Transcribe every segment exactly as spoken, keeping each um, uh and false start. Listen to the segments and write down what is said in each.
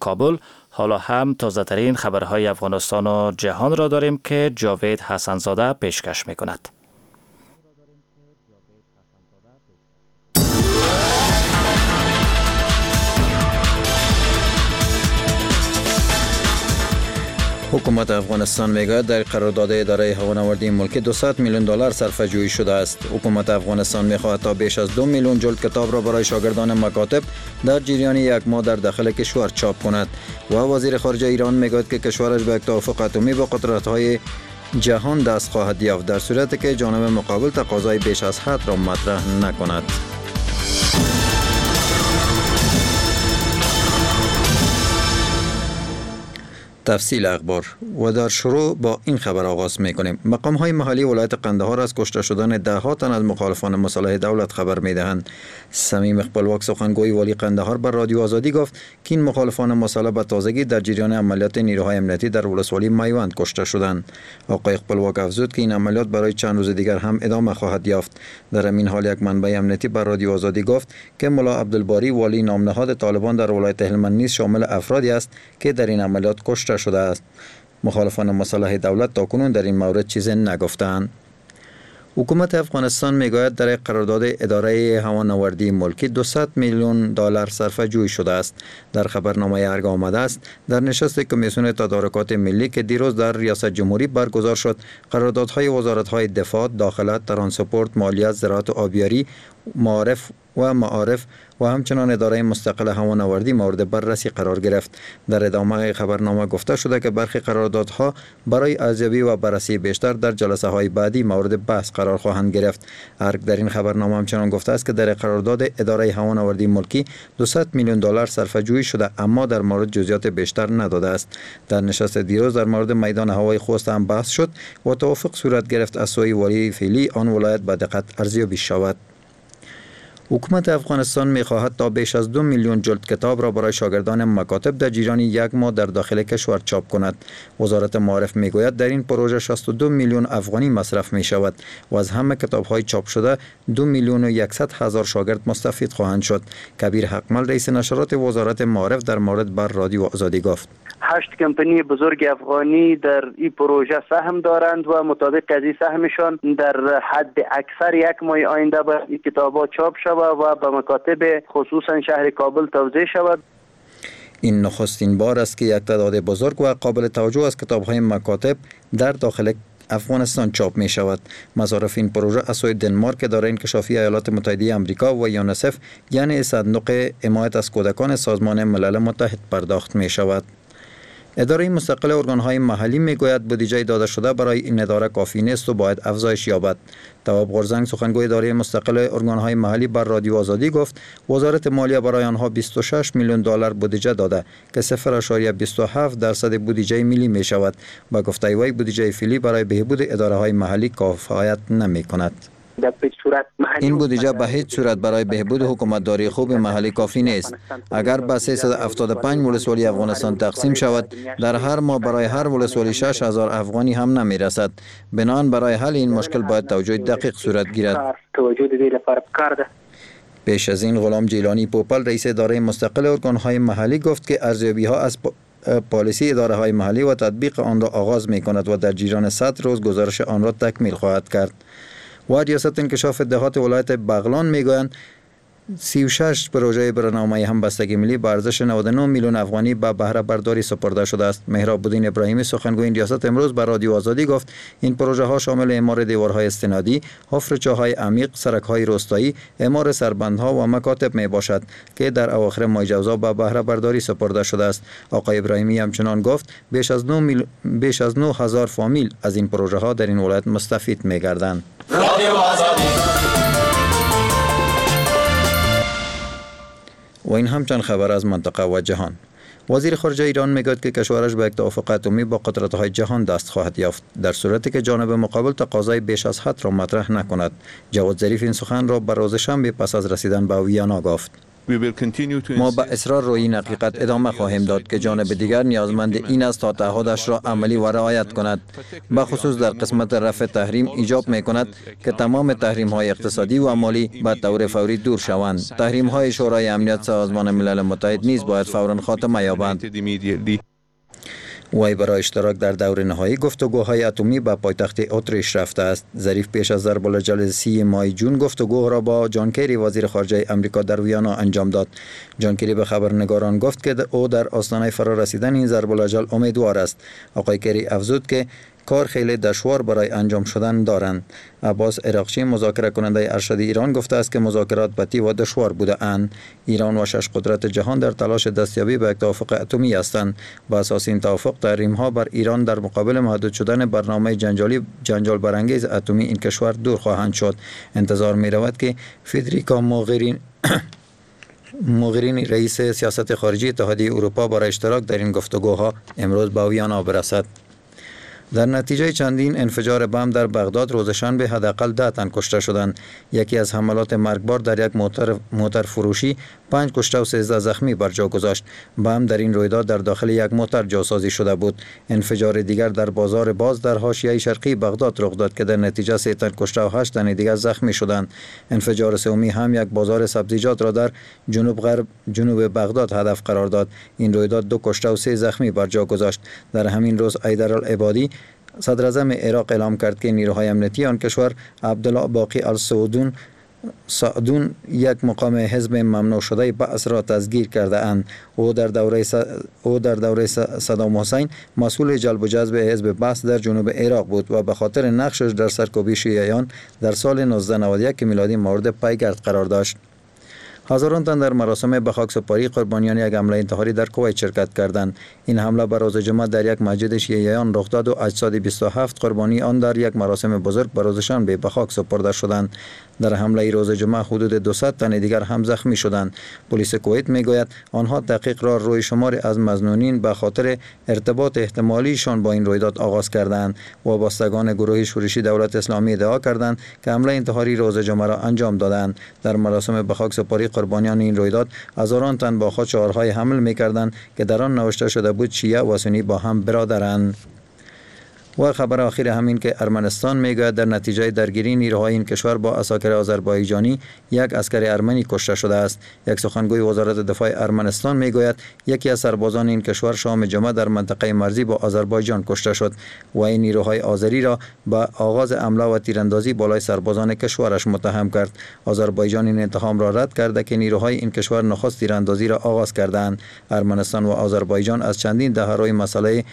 کابل. حالا هم تازه ترین خبرهای افغانستان و جهان را داریم که جاوید حسنزاده پیشکش می کند. حکومت افغانستان میگوید در قرارداد اداره هوانوردی ملکی دویست میلیون دلار صرفه جویی شده است. حکومت افغانستان میخواهد تا بیش از دو میلیون جلد کتاب را برای شاگردان مکاتب در جریان یک ماه در داخل کشور چاپ کند. و وزیر خارجه ایران میگوید که کشورش به یک توافق اتمی با قدرت‌های جهان دست خواهد یافت در صورتی که جانب مقابل تقاضای بیش از حد را مطرح نکند. تفصیل اخبار و در شروع با این خبر آغاز میکنیم. مقام های محلی ولایت قندهار از کشته شدن ده ها تن از مخالفان مسلح دولت خبر میدهند. صمیم خپلواک سخنگوی والی قندهار بر رادیو آزادی گفت که این مخالفان مسلح به تازگی در جریان عملیات نیروهای امنیتی در ولسوالی میوند کشته شدند. آقای خپلواک افزود که این عملیات برای چند روز دیگر هم ادامه خواهد یافت. در همین حال یک منبع امنیتی بر رادیو آزادی گفت که ملا عبدالباری والی نامنهاد طالبان در ولایت هلمند نیز شامل افرادی است که در این عملیات کشته شده است. مخالفان مسلح دولت تاکنون در این مورد چیزی نگفتند. حکومت افغانستان میگوید در قرارداد اداره هوانوردی ملکی دویست میلیون دلار صرفه جویی شده است. در خبرنامه ارگ آمده است در نشست کمیسیون تدارکات ملی که دیروز در ریاست جمهوری برگزار شد، قراردادهای وزارت‌های دفاع، داخله، ترانسپورت، مالیات، زراعت و آبیاری، معارف و معارف و همچنان اداره مستقل هوانوردی مورد بررسی قرار گرفت. در ادامه خبرنامه گفته شده که برخی قراردادها برای ارزیابی و بررسی بیشتر در جلسه های بعدی مورد بحث قرار خواهند گرفت. ارگ در این خبرنامه همچنان گفته است که در قرارداد اداره هوانوردی ملکی دویست میلیون دلار صرفه جویی شده، اما در مورد جزئیات بیشتر نداده است. در نشست دیروز در مورد میدان هوای خوست هم بحث شد و توافق صورت گرفت از سوی والی فعلی آن ولایت به دقت ارزیابی شود. حکومت افغانستان می‌خواهد تا بیش از دو میلیون جلد کتاب را برای شاگردان مکاتب در جریان یک ماه در داخل کشور چاپ کند. وزارت معارف میگوید در این پروژه شصت و دو میلیون افغانی مصرف می شود و از همه کتاب‌های چاپ شده دو میلیون و یکصد هزار شاگرد مستفید خواهند شد. کبیر حقمل رئیس نشرات وزارت معارف در مورد بر رادیو آزادی گفت: هشت کمپانی بزرگ افغانی در این پروژه سهم دارند و مطابق از این سهمشان در حد اکثر یک ماه آینده باید این کتاب‌ها چاپ شود و به مکاتب خصوصا شهر کابل توزیع شود. این نخستین بار است که یک تعداد بزرگ و قابل توجه از کتاب‌های مکاتب در داخل افغانستان چاپ می شود. مصارف این پروژه از سوی دنمارک، اداره انکشافی ایالات متحده آمریکا و یونیسف یعنی صندوق حمایت از کودکان سازمان ملل متحد پرداخت می شود. اداره مستقل ارگان‌های محلی میگوید بودجه داده شده برای این اداره کافی نیست و باید افزایش یابد. تواب غرزنگ سخنگوی اداره مستقل ارگان‌های محلی بر رادیو آزادی گفت وزارت مالیه برای آنها بیست و شش میلیون دلار بودجه داده که صفر اعشاریه بیست و هفت درصد بودجه ملی می شود. با گفته وی بودجه فعلی برای بهبود اداره‌های محلی کفایت نمی کند. این بودجه به هیچ صورت برای بهبود حکومتداری خوب محلی کافی نیست. اگر به سیصد و هفتاد و پنج ولسوالی افغانستان تقسیم شود، در هر ماه برای هر ولسوالی شش هزار افغانی هم نمی رسد. بنابراین برای حل این مشکل باید توجه دقیق صورت گیرد. پیش از این غلام جیلانی پوپل رئیس اداره مستقل ارگان‌های محلی گفت که ارزیابی ها از پالیسی اداره های محلی و تطبیق آن را آغاز می کند و در جریان صد روز گزارش آن را تکمیل خواهد کرد. و ریاست انکشاف دهات ولایت بغلان میگویند سی و شش پروژه برنامه همبستگی ملی به ارزش نود و نه میلیون افغانی به بهره برداری سپرده شده است. مهراب الدین ابراهیمی سخنگوی این ریاست امروز به رادیو آزادی گفت این پروژه ها شامل اعمار دیوارهای استنادی، حفر چاه‌های عمیق، سرک‌های روستایی، اعمار سربندها و مکاتب می باشد که در اواخر ماه جوزا به بهره برداری سپرده شده است. آقای ابراهیمی همچنان گفت بیش از نه میل... بیش از نه هزار فامیل از این پروژه ها در این ولایت مستفید می گردند. و این هم چند خبر از منطقه و جهان. وزیر خارجه ایران میگوید که کشورش به یک توافق اتمی با قدرت‌های جهان دست خواهد یافت در صورتی که جانب مقابل تقاضای بیش از حد را مطرح نکند. جواد ظریف این سخن را بر روز شنبه پس از رسیدن به ویانا گفت. ما به اصرار روی این حقیقت ادامه خواهیم داد که جانب دیگر نیازمند این است تا تعهدش را عملی و رعایت کند. به خصوص در قسمت رفع تحریم ایجاب می کند که تمام تحریم های اقتصادی و مالی به طور فوری دور شوند. تحریم های شورای امنیت سازمان ملل متحد نیز باید فوراً خاتمه یابند. وی برای اشتراک در دور نهایی گفتگوهای اتمی به پایتخت اتریش رفته است. ظریف پیش از ضرب الاجل سی ماه جون گفتگو را با جان کری وزیر خارجه امریکا در ویانا انجام داد. جان کری به خبرنگاران گفت که او در آستانه فرارسیدن این ضرب الاجل امیدوار است. آقای کری افزود که کار خیلی دشوار برای انجام شدن دارند. عباس عراقچی مذاکره کننده ارشد ایران گفته است که مذاکرات بطی و دشوار بوده اند. ایران و شش قدرت جهان در تلاش دستیابی به یک توافق اتمی هستند. با اساس این توافق تحریم ها بر ایران در مقابل محدود شدن برنامه جنجالی جنجال برانگیز اتمی این کشور دور خواهند شد. انتظار می رود که فدریکا موغرین موغرینی رئیس سیاست خارجی اتحادیه اروپا برای اشتراک در این گفتگوها امروز به ویانا برسد. در نتیجه چندین انفجار بم در بغداد روز شنبه حداقل ده تن کشته شدند. یکی از حملات مرگبار در یک موتر موتر فروشی پنج کشته و سیزده زخمی بر جا گذاشت. بم در این رویداد در داخل یک موتر جاسازی شده بود. انفجار دیگر در بازار باز در حاشیه شرقی بغداد رخ داد که در نتیجه سه تن کشته و هشت تن دیگر زخمی شدند. انفجار سومی هم یک بازار سبزیجات را در جنوب غرب جنوب بغداد هدف قرار داد. این رویداد دو کشته و سه زخمی بر جا گذاشت. در همین روز حیدر العبادی صدر اعظم عراق اعلام کرد که نیروهای امنیتی آن کشور عبدالله باقی السعودون سعدون یک مقام حزب ممنوع شده بعث را تسگیر کرده اند. او در دوره س... او در دوره صدام حسین مسئول جلب و جذب حزب بعث در جنوب عراق بود و به خاطر نقشش در سرکوبی شیعیان در سال نوزده نود و یک میلادی مورد پیگرد قرار داشت. هزاران تن در مراسم به خاک سپاری قربانیان یک حمله انتحاری در کویت شرکت کردند. این حمله بر روز جمعه در یک مسجد شیعیان رخ داد و اجساد بیست و هفت قربانی آن در یک مراسم بزرگ بر روز شنبه به خاک سپرده شدند. در حمله روز جمعه حدود دویست تن دیگر هم زخمی شدند. پلیس کویت میگوید آنها تحقیق را روی شماری از مظنونین به خاطر ارتباط احتمالیشان با این رویداد آغاز کردند. وابستگان گروه شورشی دولت اسلامی ادعا کردند که حمله انتحاری روز جمعه را انجام دادند. در مراسم به خاک سپاری قربانیان این رویداد هزاران تن با خود شعارهای حمل میکردند که در آن نوشته شده بود شیعه و سنی با هم برادرند. و خبر آخر همین که ارمنستان میگوید در نتیجه درگیری نیروهای این کشور با عساکر آذربایجانی یک عسکر ارمنی کشته شده است. یک سخنگوی وزارت دفاع ارمنستان میگوید یکی از سربازان این کشور شام جمعه در منطقه مرزی با آذربایجان کشته شد و این نیروهای آذری را به آغاز حمله و تیراندازی بالای سربازان کشورش متهم کرد. آذربایجان این اتهام را رد کرده که نیروهای این کشور نخست تیراندازی را آغاز کردند. ارمنستان و آذربایجان از چندین دهه روی مسئله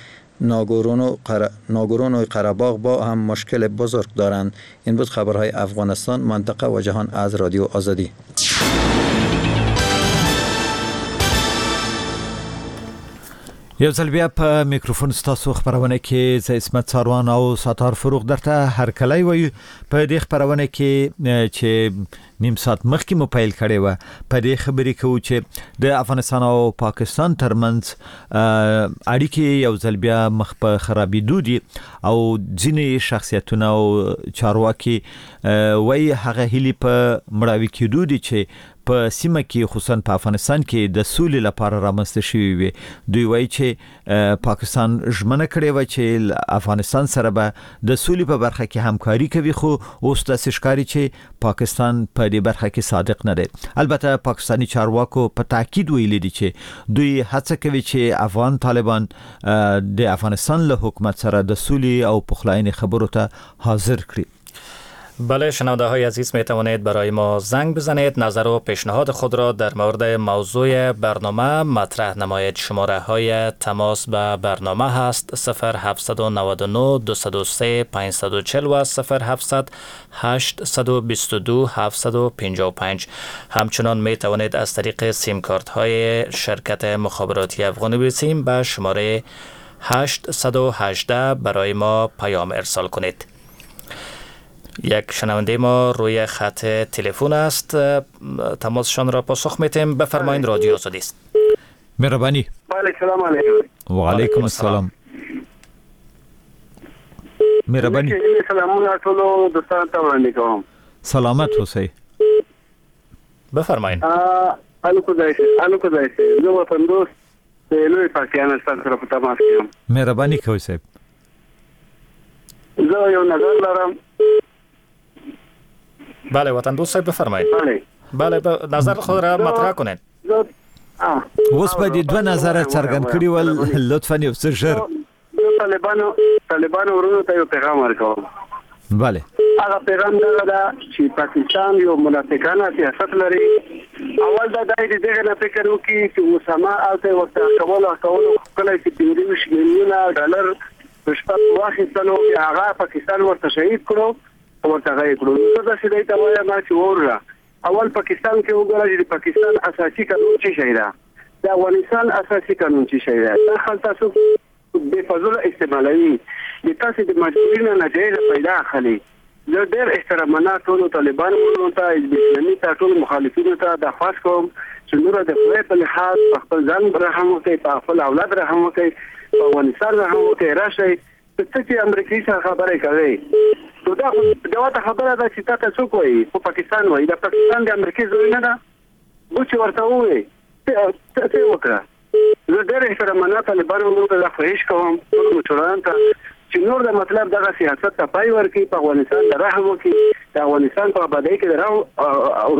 ناگورونو قره... ناگورونو قره‌باغ با هم مشکل بزرگ دارند. این بود خبرهای افغانستان، منطقه و جهان از رادیو آزادی. یو ځل بیا په میکروفون ستاسو خپرونه کې زه عصمت څاروان او ستار فروغ درته هرکلی وایو. په دې خپرونه کې چې نیم ساعت مخکې مو پیل کړې وه په دې خبرې کوو چې د افغانستان او پاکستان ترمنځ اړیکې یو ځل بیا مخ په خرابېدو دي او ځینې شخصیتونه او چارواکي وایي هغه هیلې په مړاوي کېدو دي چې په سیمه کې خصوصا په افغانستان کې د سولې لپاره رامنځته شوې وي. دوی وایي چې پاکستان ژمنه کړې وه چې افغانستان سره به د سولې په برخه کې همکاري کوي، خو اوس داسې ښکاري چې پاکستان په دې برخه کې صادق نه دی. البته پاکستاني چارواکو په تاکید ویلي دي چې دوی هڅه کوي چې افغان طالبان د افغانستان له حکومت سره د سولې او پخلاینې خبرو ته حاضر کړي. بله شنونده های عزیز، می توانید برای ما زنگ بزنید، نظر و پیشنهاد خود را در مورد موضوع برنامه مطرح نمایید. شماره های تماس به برنامه هست صفر هفت نه نه دو سه پنج چهار و صفر هفت هشت دو دو هفت پنج پنج. همچنان می توانید از طریق سیم کارت های شرکت مخابراتی افغانی سیم به شماره هشت یک هشت برای ما پیام ارسال کنید. یک شنونده ما روی خط تلفن است، تماسشان را پاسخ میتیم. بفرمایید، رادیو آزادی است. مهربانی. بله، سلام علیکم. و علیکم السلام. مهربانی. سلامونه ټولو دوستانو ته وړاندې کوم. سلامت اوسئ. بفرمایید. الو خدای شه، الو خدای شه. زه وطن دوست د لوی پاکستان سره په تماس کې یم. مهرباني کوئ صاحب. زه یو نظر لرم. بله وطن دوست صاحب بفرمایید. بله بله، نظر خود را مطرح کنید. اوس به دې دوه نظره څرګند کړي ول، لطفاً یو څه ژر. زه طالبانو طالبانو ورونو ته یو پیغام ورکوم. بله، هغه پیغام دغه ده چې پاکستان یو منافقانه سیاست لري. اول دا دی چې دغه نه فکر وکړي چې اسامه هلته ورته کولو کولو کله چې پنځه ویشت میلیونه ډالر رشوت واخیستلو، بیا هغه پاکستان ورته شهید کړو، ورته غیب کړو. زه داسې دی ته وایم چې وروره اول پاکستان کې وګوره چې د پاکستان اساسي قانون څه شی ده، د افغانستان اساسي قانون څه شی ده. دا خلک تاسو بې فضوله استعمالوي، د تاسو د مجبوري نه ناجایزه پیدا اخلي. زه ډېر احترامانه ټولو طالبانو ورونو ته، حزب اسلامي ته، ټولو مخالفینو ته درخواست کوم چې نوره د خدای په لحاظ په خپل ځان رحم وکړئ، په خپل اولاد رحم وکړئ، په افغانستان رحم وکړئ. راشئ ته چې امریکې سره خبرې کوي، نو دا خو جواته خبره ده چې تا ته څوک وایي؟ خو پاکستان وایي. دا پاکستان د امریکې زوی نه ده، بو چې ورته ووایي ته څه وکړه. زه ډېر احترامانه طالبانو ورونو ته دا خواهش کوم، ټولو مشرانو ته چې نور د مطلب دغه سیاست ته پای ورکړي، په افغانستان د رحم وکړي، د افغانستان په آبادۍ کې د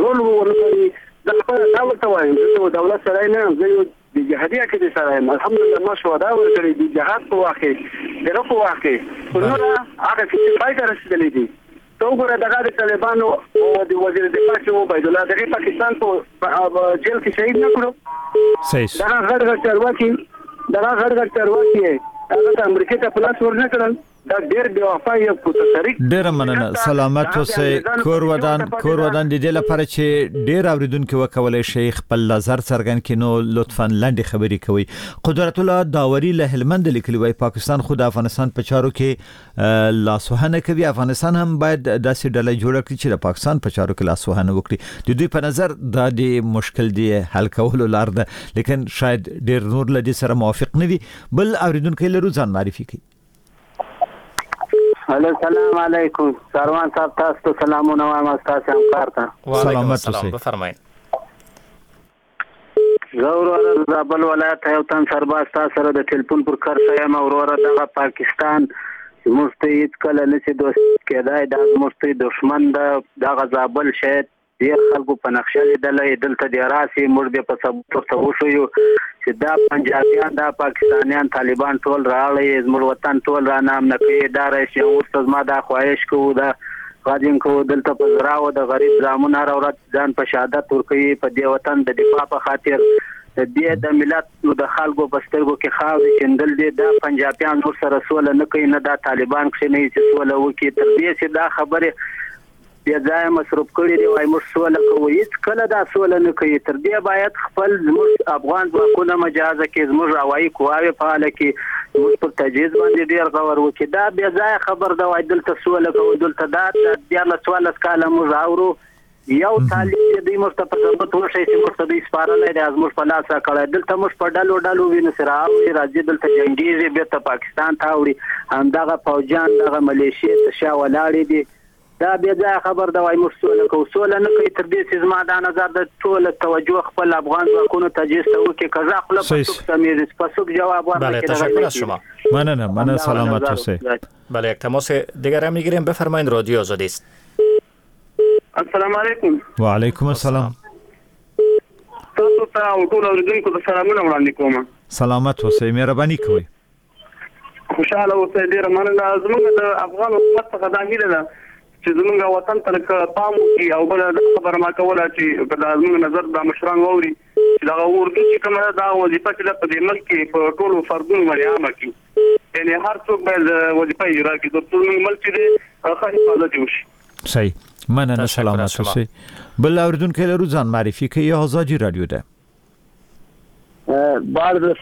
رول ورکړي. زه خپله دا ورته وایم، زه یو دولت سړی نه یم، زه یو د جهادي عقیدې سره یم. الحمدلله ما شهدا ورکړي د جهاد په وخت کې، د غه په وخت کې. خو نوره هغه کیسې پای ته رسېدلې دي. ته وګوره دغه د طالبانو د وزیر دفاع چې عبیدالله دغه پاکستان په جیل کې شهید نه کړو. دغه غټ غټ چارواکي، دغه غټ غټ چارواکي هغه ته امریکې ته په لاس ورنه کړل. دا ډېر بې وفا یو تاریخ. ډېره مننه، سلامت اوسئ. کور ودان، کور ودان. د دې لپاره چې ډېر اوریدونکي وکولای شي خپل نظر څرګند کړي، نو لطفاً لنډې خبرې کوئ. قدرت الله داوري له هلمند لیکلي وایي پاکستان خو د افغانستان په چارو کې لاسوهنه کوي، افغانستان هم باید داسې ډله جوړه کړي چې د پاکستان په چارو کې لاسوهنه وکړي. د دوی په نظر دا د مشکل دی حل کولو لار ده، لیکن شاید ډېر نور له دې سره موافق نه وي. بل اوریدونکی لرو، ځان معرفي کوي. الو سلام علیکم ساروان صاحب، تاسو ته سلامونه وایم، تاسو همکار ته. وعلیکم السلام، بفرمایئ. زه وروره د زابل ولایت یو تن سرباز تاسو سره د ټلیفون پر کرښه یم. وروره دغه پاکستان زموږ ته هېڅکله نه شي دوست کېدای، دا زموږ ته دښمن ده. دغه زابل شاید ډېر خلکو په نقشه لیدلی، دلته دې راسي، موږ دې په ثبوت ورته وښیو چې دا پنجابیان، دا پاکستانیان، طالبان ټول راغلي، زموږ وطن ټول را نامنه کوي. دا رئیس جمهور ته زما دا خواهش کوو، دا غږ کوو، دلته په زراو د غریب زامن هره ورځ ځان په شهادت ورکوي په دې وطن د دفاع په خاطر. د دې د ملت د خلکو په سترګو کې خاورې شیندل دي. دا پنجابیان نور سره سوله نه کوي، نه دا طالبان کښېنوي چې سوله وکړي. تر دې چې دا خبرې بې ځایه مصروف کړي دي، وایي موږ سوله کوو، هېڅکله دا سوله نه کوي. تر دې باید خپل زموږ افغان ځواکونه مجازه کړي، زموږ هوایي قواوې فعاله کړي، زموږ پر تجهیز باندې ډېر غور وکړي. دا بې ځایه خبر ده، وایي دلته سوله کوو، دلته دا دیارلس څوارلس کاله موږ اورو. یو طالب چې دوی موږ ته په ثبوت وښیي چې موږ ته دوی سپارلی دی، زموږ په لاس راکړی. دلته موږ په ډلو ډلو وینو چې رااوړي، راځي دلته جنګېږي، بېرته پاکستان ته اوړي. همدغه پوځیان، دغه ملیشې تر شا ولاړې دي. دا بې ځایه خبر ده، وایي موږ سوله کوو، سوله نه کوي. تر دې چې زما دا نظر د ټوله توجه خپل افغان ځواکونو تجهیز ته وکړي. که زه خوله په څوک سمېږي، په څوک جواب ورنکړي. بله، تشکر از شما. مننه، مننه، سلامت اوسئ. بله، یک تماس دیگر هم میگیریم. بفرمایید، رادیو آزادی است. السلام علیکم. وعلیکم السلام. تاسو ته او ټولو اورېدونکو ته سلامونه وړاندې کوم. سلامت اوسئ، مهرباني کوئ. خوشحاله اوسئ، ډېره مننه. زموږ د افغان حکومت څخه دا هیله ده چې زموږ وطن ته لږ پام وکړي، او بله دا خبره ما کوله چې که دا زموږ نظر دا مشران واوري چې دغه اردو چې کومه ده، دا وظیفه چې ده په دې ملک کې په ټولو فردونو باندې عامه کړي، یعنې هر څوک باید وظیفه اجرا کړي، تر څو زموږ ملک چې دی ښه حفاظت یې وشي. صحیح، مننه، سلامت اوسئ. بل اوریدونکی لرو، ځان معرفي کوي. ازادي رادیو ده. بعد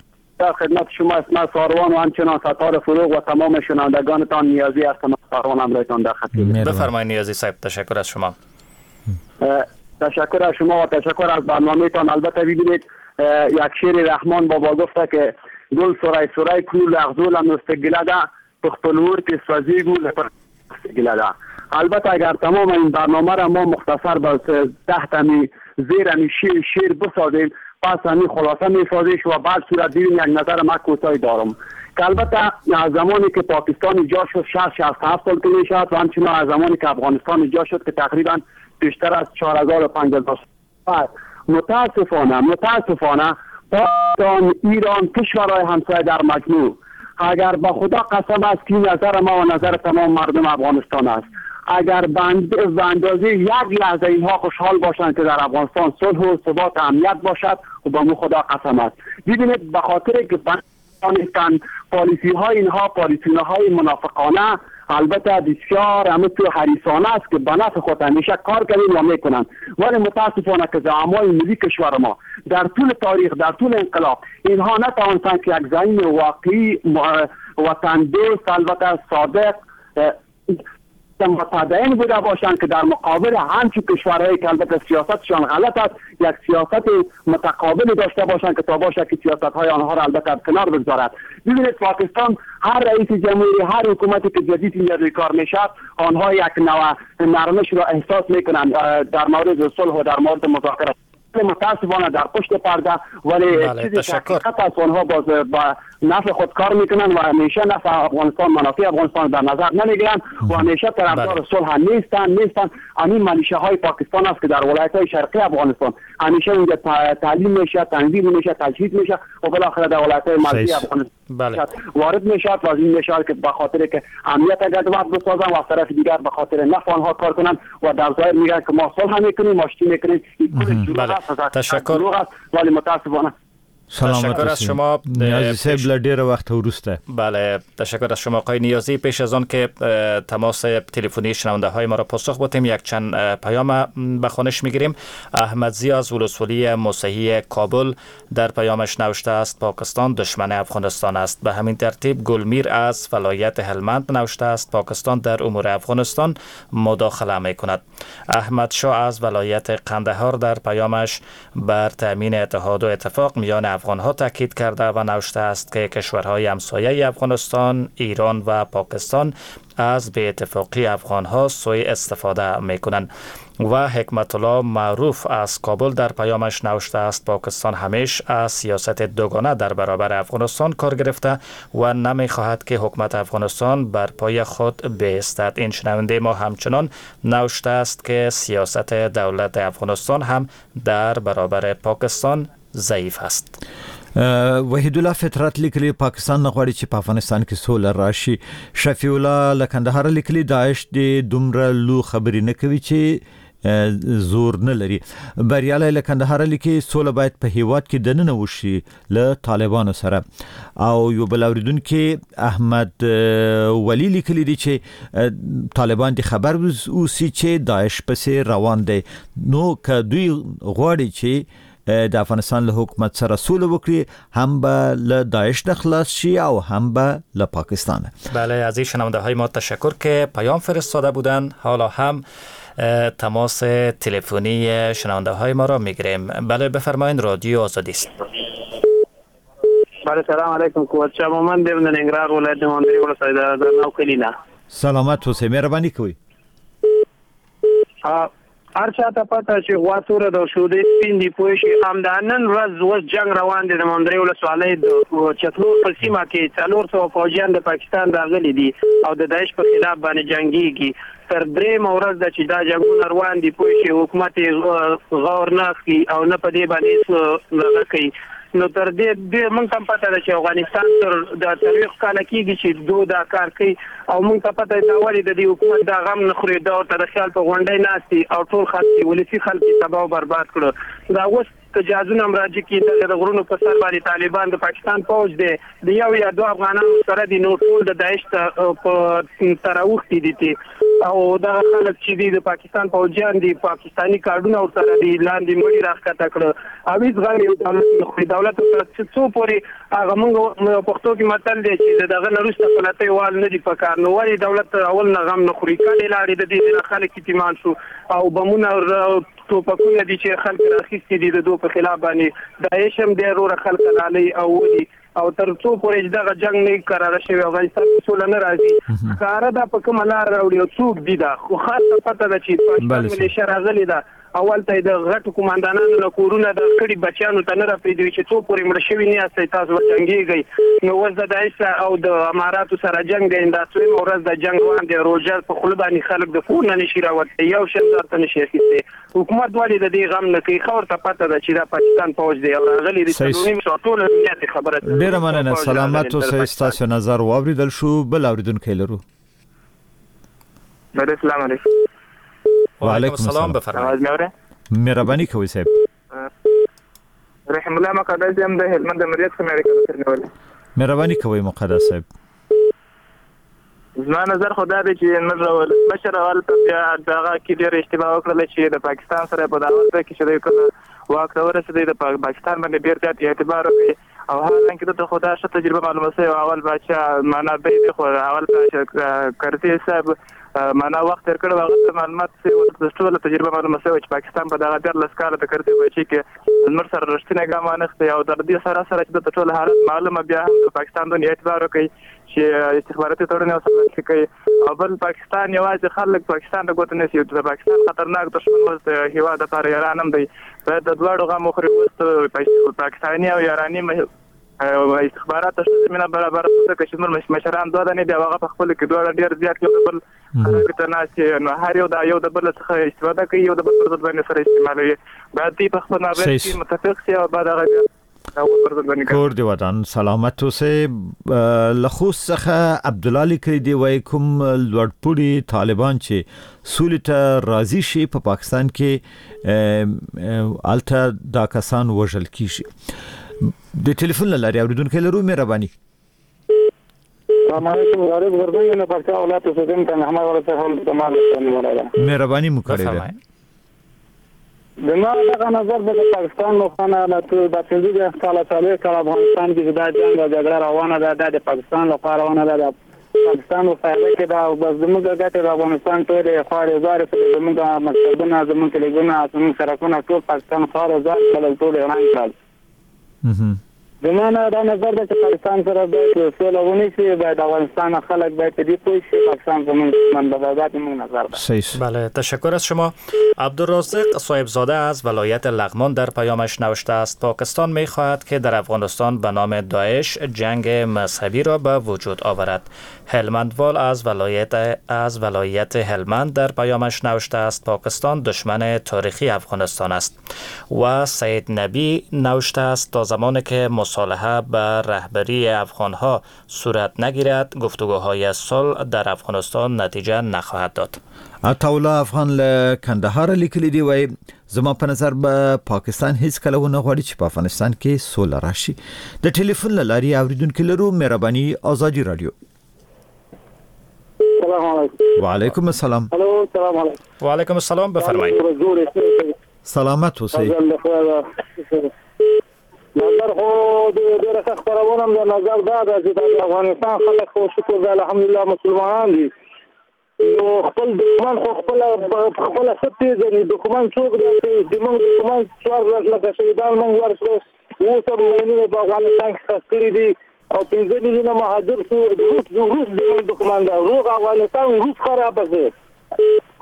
خدمت شما اسم ساروان و همچنان ستار فروغ و تمام شنوندگانتان نیازی هستم. ساروان همراهتان در خدمت. بفرمایید نیازی صاحب، تشکر از شما. تشکر از شما و تشکر از برنامه‌تان. البته ببینید یک شعر رحمان بابا گفته که گل سرای سرای کړو لغزول مستګله ده، په خپل ور کې سوځېږو له ګله ده. البته اگر تمام این برنامه را ما مختصر به ده تمی زیر همی شعر, شعر بسازیم، پس همی خلاصه میسازیش و بعد صورت دیدیم یک نظر ما کوتاهی دارم که البته از زمانی که پاکستان ایجاد شد شصت شصت و هفت سال که میشد و همچنین از زمانی که افغانستان ایجاد شد که تقریبا بیشتر از چهار هزار و پنج هزار سال، متاسفانه متاسفانه پاکستان، ایران، کشورهای همسایه در مجموع، اگر با خدا قسم است که نظر ما و نظر تمام مردم افغانستان است، اگر به اندازه یک لحظه اینها خوشحال باشند که در افغانستان صلح و ثبات و امنیت باشد و با مو خدا قسم است. ببینید به خاطر که بندانستان پالیسی های اینها پالیسی های منافقانه البته بسیار همه تو حریصانه است که به نفع خود همیشه کار کردن و میکنند، ولی متاسفانه که زعمای ملی کشور ما در طول تاریخ، در طول انقلاب اینها نتوانستند که یک زعیم واقعی وطن دوست البته صادق متدین بوده باشند که در مقابل همچون کشورهایی که البته سیاستشان غلط است یک سیاست متقابل داشته باشند که تا باشه که سیاست‌های آنها را البته کنار بگذارد. ببینید پاکستان هر رئیس جمهوری، هر حکومتی که جدید اینجا روی کار میشد، آنها یک نوع نرمش را احساس میکنند در مورد صلح و در مورد مذاکره. متاسفانه در پشت پرده ولی چیزی که حقیقت است آنها باز با نفع خود کار میکنن و همیشه نفع افغانستان، منافع افغانستان در نظر نمیگیرن و همیشه طرفدار صلح نیستن نیستن. همین ملیشه های پاکستان است که در ولایت های شرقی افغانستان همیشه اونجا تعلیم میشه، تنظیم میشه، تجهیز میشه و بالاخره در ولایت های مرکزی افغانستان بله. وارد میشه و از این میشه که به خاطر که امنیت گډوډ بسازن و از طرف دیگر به خاطر نفع آنها کار کنن و در ظاهر میگن که ما صلح میکنیم، آشتی میکنیم. این بله. تشکر. ولی متاسفانه تشکر از شما نیازی صاحب له ډیره وخته وروسته. بله تشکر از شما آقای نیازی. پیش از آن که تماس تلفنی شنونده های ما را پاسخ بدیم یک چند پیام به خوانش میگیریم. احمدزی از ولسوالی مسیحی کابل در پیامش نوشته است پاکستان دشمن افغانستان است. به همین ترتیب گلمیر از ولایت هلمند نوشته است پاکستان در امور افغانستان مداخله میکند. احمد شاه از ولایت قندهار در پیامش بر تامین اتحاد و اتفاق میان افغانها تاکید کرده و نوشته است که کشورهای همسایه افغانستان، ایران و پاکستان از بی اتفاقی افغانها سوء استفاده میکنند. و حکمت الله معروف از کابل در پیامش نوشته است پاکستان همیش از سیاست دوگانه در برابر افغانستان کار گرفته و نمیخواهد که حکومت افغانستان بر پای خود بایستد. این شنونده ما همچنان نوشته است که سیاست دولت افغانستان هم در برابر پاکستان ضعیف است. وحیدالله فطرت لیکلي پاکستان نه غواړي چې په افغانستان کې سوله راشي. شفیع الله له کندهاره لیکلي داعش دې دومره لو خبرې نه کوي چې زور نه لري. بریالی له کندهاره لیکي سوله باید په هیواد کې دننه وشي له طالبانو سره. او یو بل اوریدونکي احمد ولی لیکلي دي چې طالبان دې خبر اوسي چې داعش پسې روان دی، نو که دوی غواړي چې د افغانستان له حکومت سره سوله وکړي هم به له داعش نه خلاص شي او هم به له پاکستان. بله از این شنونده های ما تشکر که پیام فرستاده بودند. حالا هم تماس تلفنی شنونده های ما را میگیریم. بله بفرمایید، رادیو آزادی است. بله سلام علیکم، قوت شما من د ننګرهار ولایت د مندري ولسوالۍ د نو کلی نه. سلامت اوسئ، مهرباني کوئ. هر چا ته پته چې غوا توره ده او شودې سپین دي، پوه شي. همدا نن ورځ اوس جنګ روان دی د مندري ولسوالۍ د چتلور په سیمه کې څلور سوه فوجیان د پاکستان راغلي دي او د داعش په خلاف باندې جنګیږي. تر درېیمه ورځ ده چې دا جنګونه روان دي، پوه شي. حکومت یې غور نه اخلي او نه په دې باندې هېڅ دغه کوي. نو تر دې دې موږ ته هم پته ده چې افغانستان تر د څلوېښت کاله کېږي چې دو دا کار کوي او موږ ته پته ده ولې د دې حکومت دا غم نه خوري، دا ورته د خیال په غونډۍ ناست دي او ټول خلک یې ولسي خلک یې تباه او برباد کړو. دا اوس که جهازونه هم راجع کړي دغه د غرونو په سر باندې طالبان د پاکستان پوځ دی د یو یا دوه افغانانو سره دي، نو ټول د داعش ته په ته راوښتي دي تې. او دغه خلک چې دي د پاکستان پوځیان دي، پاکستاني کارډونه ورسره دي، لاندې مړي راښکته کړه او هېڅ غم یې دولت نه خوري. دولت ورسره چې څو پورې هغه موږ پښتو کې متل دی چې د دغه نه وروسته پلتۍ وال نه دي په کار، نو ولې دولت اول نه غم نه خوري؟ کډې لاړې د دې نه خلک یتیمان شو او بمونه ټوپکونه دي چې خلک راخیستي دي د دوی په خلاف باندې. داعش هم دی وروره خلک رالي او ولي او تر څو پورې چې دغه جنګ نه کراره شوی افغانستان کې سوله نه راځي. ښکاره ده په کومه لار راوړي او څوک دي دا، خو خاصه پته ده چې پاکستان ملیشه راغلې ده اول ته د غټو قوماندانانو له کورونه د کړي بچیانو ته نه راپرېږدي چې څو پورې مړه شوي نه یاستئ تاسو به جنګېږئ. نو اوس د داعش او د اماراتو سره جنګ دی، دا څویمه ورځ د جنګ روان دی، روژه په خوله باندې خلک د کور نه نشي راوتلی، یو شی ځان ته نشي اخیستی. حکومت ولې د دې غم نه کوي؟ ښه ورته پته ده چې دا پاکستان پوځ دی او راغلی دی څلور نیم سوه ټوله دنیا دې خبره ده. ډېره مننه، سلامت اوسئ، ستاسو نظر واورېدل شو. بل اورېدونکی لرو. السلام علیکم. وعلیکم السلام، بفرمایئ. مهرباني کوئ صاحب. رحم الله مقدس یم، د هلمند د مریت څخه مې اړیکه نیولې. مهرباني کوئ مقدس صاحب. زما نظر خو دا دی چې موږ ولسمشر اول ته بیا دغه کې ډېره اشتباه وکړله چې د پاکستان سره په دغه وخت کې چې دی کله واک ته ورسېدی د پاکستان باندې ډېر زیات اعتبار وکړي او حالانکه ده ته خو دا ښه تجربه معلومه شوې وه. اول باچا معنا دی دی خو اول باچا کرزي صاحب معنا وخت تېر کړی و، هغه ته معلومات شوي وو، ټوله تجربه معلومه شوې وه چې پاکستان په دغه دیارلس کاله د کرزي بچي کې زموږ سره رښتینی ګام وانخیستی او تر دې سره سره چې ده ته ټول حالت معلومه بیا هم د پاکستان دونه اعتبار وکړي چې استخباراتي تړون یې ورسره لاسلیک کوي. او بل پاکستان یوازې خلک پاکستان ته ګوته نیسي، د پاکستان خطرناک دښمن اوس د هېواد لپاره ایران هم دی، باید د دواړو غم وخوري. اوس پاکستاني او ایراني استخبارات ته ښه زمینه برابره شوه، ځکه چې زموږ مشران دوه دانې دي او هغه په خپلو کې دواړه ډېر زیات یو د بل خرابي ته ناست دي، نو هر یو د یو د بل څخه استفاده کوي، یو د بل پر ضد باندې سره استعمالوي. باید دوی په خپل مابین کې متفق شي او باید هغه بیا کور دی ودان، سلامت اوسئ. له خوست څخه عبدالله لیکلي دی، وایي کوم لوړپوړي طالبان چې سولې ته راضي شي په پاکستان کې هلته دا کسان وژل کیږي. د ټلیفون له لارې اورېدونکی لرو، مهرباني. السلام علیکم، غریب غربي یم، پکتیا ولایت اوسېدونکی، محمد ولایت څخه مهرباني مو کړې ده. زما دغه نظر به د پاکستان لخوا نه د پنځه دېرش کاله څلوېښت کاله افغانستان کې چې دا جنګ او جګړه روانه ده، دا د پاکستان لخوا روانه ده، د پاکستان په فایده کې ده او بس زموږ ګټې د افغانستان ټولې خوارې زارې کړې، زموږ مکتبونه، زموږ کلیګونه، زموږ سړکونه ټول پاکستان خوارې زارې کړل، ټول یې ړنګ کړل. زما نه دا نظر ده چې پاکستان سره باید سوله ونیسي، باید افغانستان خلک باید په دې پوه شي پاکستان زموږ دښمن ده، دا زموږ نظر ده. بله، تشکر از شما. عبدالرازق صاحبزاده از ولایت لغمان در پیامش نوشته است: پاکستان میخواهد که در افغانستان به نام داعش جنگ مذهبی را به وجود آورد. هلمندوال از ولایت از ولایت هلمند در پیامش نوشته است: پاکستان دشمن تاریخی افغانستان است. و سید نبی نوشته است: تا زمانی که مصالحه به رهبری افغانها صورت نگیرد، گفتگوهای صلح در افغانستان نتیجه نخواهد داد. عطاالله افغان له کندهاره لیکلي دی، وایي زما په نظر به پاکستان هیڅ کله ونه غواړي چې په افغانستان کې سوله راشي. د ټلیفون له لارې اورېدونکي لرو، مهرباني. ازادي رادیو. السلام علیکم. وعلیکم السلام. الو، السلام علیکم. وعلیکم السلام، بفرمایئ. سلامت اوسئ. نظر خو ډېره ښه خپرونه ده. نظر دا ده چې د افغانستان خلک خو شکر ده الحمدلله مسلمانان دي، نو خپل دښمن خو خپله خپله ښه پېژني. دښمن څوک دی چې زموږ دښمن څوارلس لکه شهیدان موږ ورکړو، اوس هم ماینونه په افغانستان کې ښخ کړي دي او پنځه میلیونه مهاجر شو. روس روس زموږ دښمن ده، روغ افغانستان روس خرابه شو.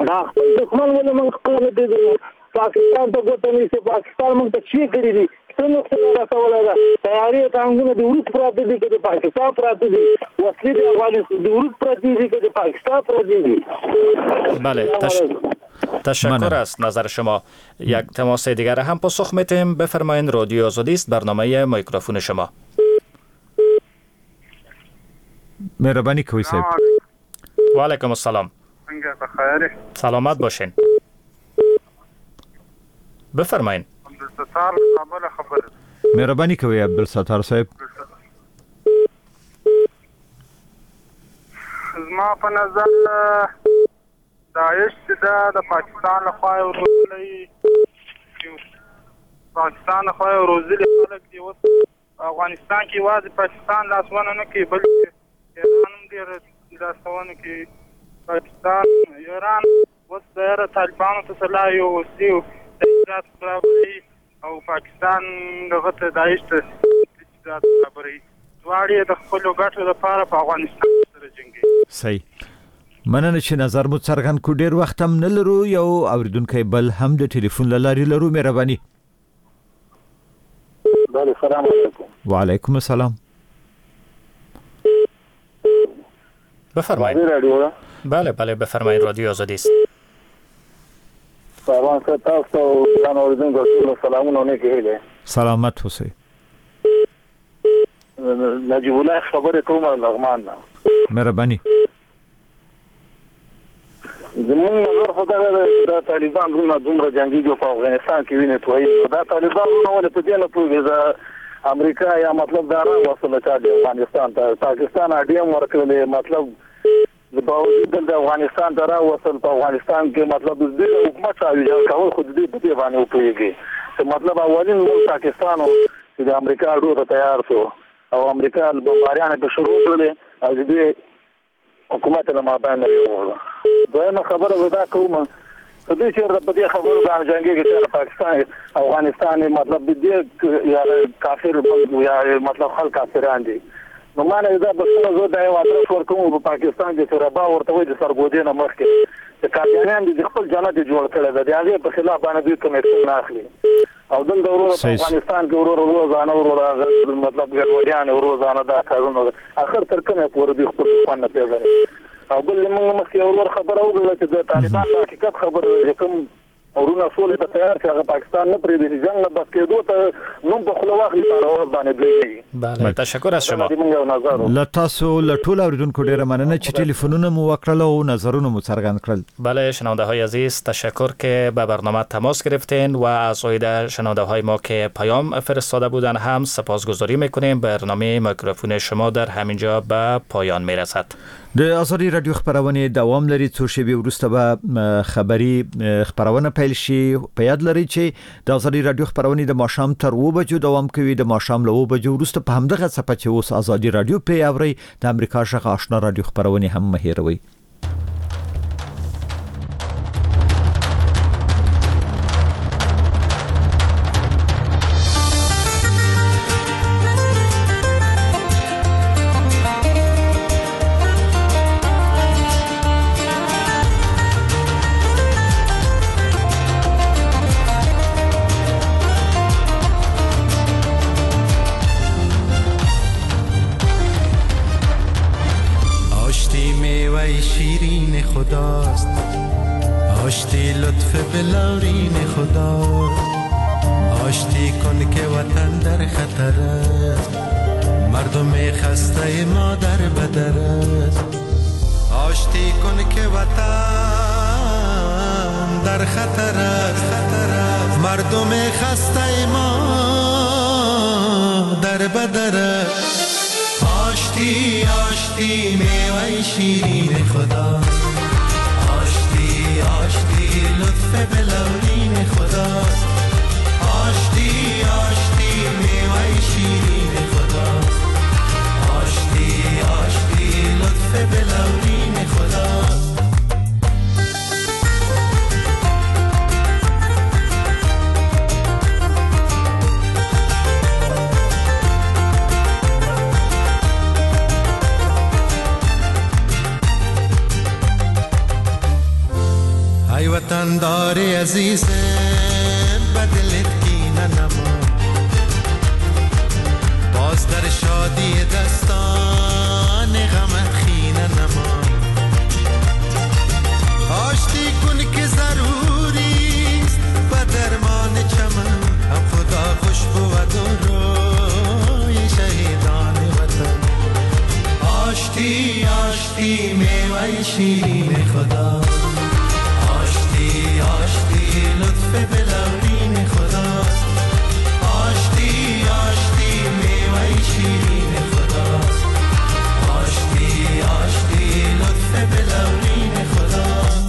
دا خپل دښمن ولې موږ خپله نه پېژنو؟ پاکستان ته ګوته نیسي، پاکستان موږ ته څه کړي دي؟ څه نقصان رسولی ده؟ طیارې ټانګونه د روس پراته دي که د پاکستان پراته دي؟ وسلې د افغانستان د روس پرتې دي که د پاکستان پرتې دي؟ بله، تش... تشکر از نظر شما. یک تماس دیگر هم پاسخ میتیم. بفرمایید، رادیو آزادی است، برنامه میکروفون شما. مهرباني کوئ صاحب. وعلیکم السلام. سلامت باشین. بفرمایید. عبدالستار کابل خبر. مهرباني کوئ عبدالستار صاحب. زما په نظر داعش چې ده د پاکستان لخوا یې روزلی، پاکستان لخوا یې روزلي خلک دي. اوس افغانستان کې یوازې پاکستان لاسوهنه نه کوي، بلکې ایران هم ډېره لاسوهنه کوي. پاکستان ایران اوس ظاهره طالبانو ته سلاح یو وسلې تجهیزات برابروي او پاکستان دغه ته داعش ته تجهیزات برابروي. دواړه یې د خپلو ګټو لپاره په افغانستان کې سره جنګوي. صحیح، مننه چې نظر مو څرګند کړ. ډېر وخت هم نه لرو، یو اورېدونکی بل هم د ټلیفون له لارې لرو. مهرباني. بله، سلام علیکم. وعلیکم السلام. بفرمایید. بله بله بفرمایید، رادیو آزادی است. سلام تاسو ګران اوریدونکو ټولو سلامونه او نیکې هیلې. سلامت اوسئ. نجیب الله خبرې کوم لغمان نه. مهرباني. زموږ نظر خو دغه دی چې دا طالبان وروڼه دومره جنګېږي په افغانستان کې وینې تویي، دا طالبان وروڼه ولې په دې نه پوهېږي د امریکا یا مطلب دا راوستله چا دې افغانستان ته، پاکستان اډې هم ورکړلې، مطلب باوجود دلته افغانستان ته راوستل، په افغانستان کې مطلب د دوی حکومت راویجاړ کول خو د دوی په دې باندې وپوهېږي چې مطلب اولین ملک پاکستان و چې د امریکا اډو ته تیار شو او امریکا بمباریانې پرې شروع کړلې او د دوی حکومت له مابین نه یووړه. دویمه خبره زه دا کوم که دوی چېرته په دې خبرو باندې جنګېږي چې پاکستان افغانستان مطلب د دې یا کافر یا مطلب خلک کافران دي، نو ما نه دا بسنه زه دا یو ادرس ورکوم په پاکستان کې چې ربا ورته وایي د سرګودې نه مخکې چې قادیانیان دي د خپل جنت یې جوړ کړی دی، د هغې په خلاف باندې دوی کوم اکشن نه اخلي. او دلته وروره په افغانستان کې وروره روزانه وروره مطلب ګډوډیانې روزانه دا کارونه اخر تر کومه پورې دوی خپل دښمن نه پېژني. او بل موږ مخکې یو ورور خبره وکړله چې د طالبان د حقیقت خبره ده چې کوم ورونه سولې ته تیار شي هغه پاکستان نه پرېږدي چې جنګ نه بس کېدو ته نوم په خوله واخلي په هره ورځ باندې دوی نه. بله، تشکر از شما. له تاسو له ټولو اوریدونکو ډېره مننه چې ټلیفونونه مو وکړل او نظرونه مو څرګند کړل. بله شنونده های عزیز، تشکر که به برنامه تماس گرفتین و از عایده شنونده های ما که پیام فرستاده بودن هم سپاسگزاری میکنیم. برنامه میکروفون شما در همینجا به پایان میرسد. د ازادي رادیو خپرونې دوام لري، څو شېبې وروسته به خبري خپرونه پیل شي. په یاد لرئ چې د ازادي رادیو خپرونې د ماښام تر اوو بجو دوام کوي. د ماښام له اوو بجو وروسته په همدغه څپه چې اوس ازادي رادیو پرې اورئ د امریکا غږ آشنا رادیو خپرونې هم مه هېروئ. خداست، آشتی لطف بلورین خداست، آشتی کن که وطن در خطر است، مردم خسته ما در بدر است، آشتی کن که وطن در خطر است، مردم خسته ما در بدر است، آشتی آشتی میوه شیرین خدا، آشتی آشتی لطف بلورین خداست، آشتی آشتی میوه شیرین خداست، آشتی آشتی لطف بلورین خداست. ای وطندار عزیزم بدلت کینه نما، باز در شادی دستان غمت خینه نما، آشتی کن که ضروریست به درمان چمن، هم خدا خوش بود و روی شهیدان وطن، آشتی آشتی میوه شیرین خدا، آشتی لطف بلورین خداست، آشتی آشتی میوه شیرین خداست، آشتی آشتی لطف بلورین خداست.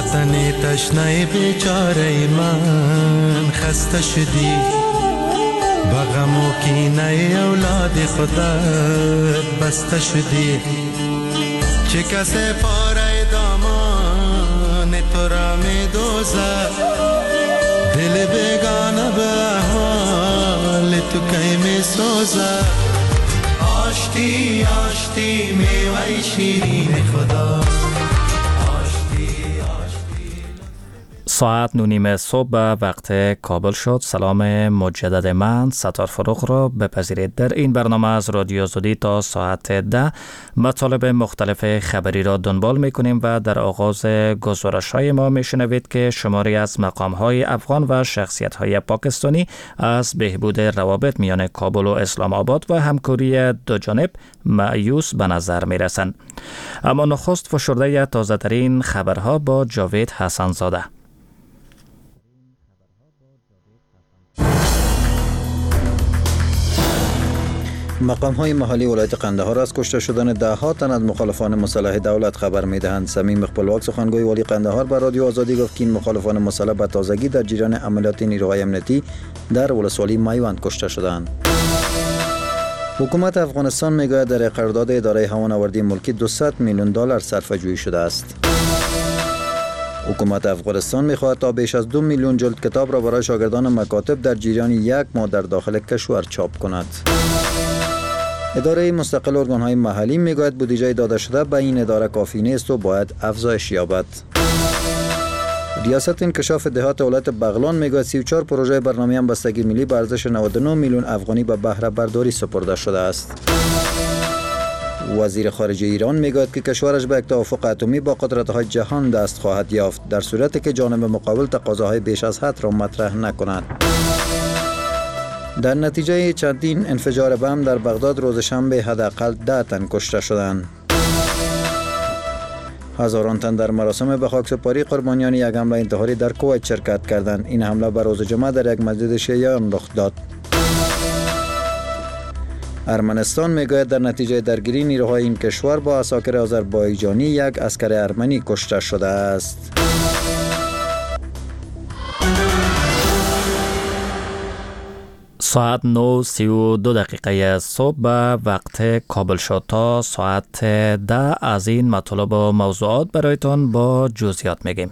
وطن تشنه بیچاره من خسته شدی، با غم و کینه اولاد خودت بسته شدی. چه کسی پاره دامان تو را می دوزد، دل بیگانه به احوال تو کی می سوزد. آشتی آشتی میوه شیرین خدا. ساعت نه و نیم صبح به وقت کابل شد. سلام مجدد من ستار فروغ را بپذیرید. در این برنامه از رادیو آزادی تا ساعت ده مطالب مختلف خبری را دنبال میکنیم و در آغاز گزارش های ما میشنوید که شماری از مقام های افغان و شخصیت های پاکستانی از بهبود روابط میان کابل و اسلام آباد و همکاری دو جانب مایوس به نظر میرسند. اما نخست فشرده تازه ترین خبرها با جاوید حسن زاده. مقام های محلی ولایت قندهار از کشته شدن ده ها تن از مخالفان مسلح دولت خبر می دهند. صمیم خپلواک سخنگوی والی قندهار بر رادیو آزادی گفت که این مخالفان مسلح به تازگی در جریان عملیات نیروهای امنیتی در ولسوالی میوند کشته شدند. حکومت افغانستان میگوید در قرارداد اداره هوانوردی ملکی دویست میلیون دلار صرفه جویی شده است. حکومت افغانستان میخواهد تا بیش از دو میلیون جلد کتاب را برای شاگردان مکاتب در جریان یک ماه در داخل کشور چاپ کند. اداره مستقل ارگان‌های محلی میگوید بودجه داده شده به این اداره کافی نیست و باید افزایش یابد. ریاست انکشاف دهات ولایت بغلان میگوید سی و چهار پروژه برنامه همبستگی ملی به ارزش نود و نه میلیون افغانی به بهره برداری سپرده شده است. وزیر خارجه ایران میگوید که کشورش به یک توافق اتمی با قدرت‌های جهان دست خواهد یافت در صورتی که جانب مقابل تقاضاهای بیش از حد را مطرح نکند. در نتیجه چندین انفجار بم در بغداد روز شنبه حداقل ده تن کشته شدند. هزاران تن در مراسم به خاکسپاری قربانیان یک حمله انتحاری در کویت شرکت کردند. این حمله بر روز جمعه در یک مسجد شیعیان رخ داد. ارمنستان میگوید در نتیجه درگیری نیروهای این کشور با عساکر آذربایجانی یک عسکر ارمنی کشته شده است. ساعت نه و سی و دو دقیقه صبح به وقت کابل شد. تا ساعت ده از این مطالب و موضوعات برایتان با جزئیات میگیم.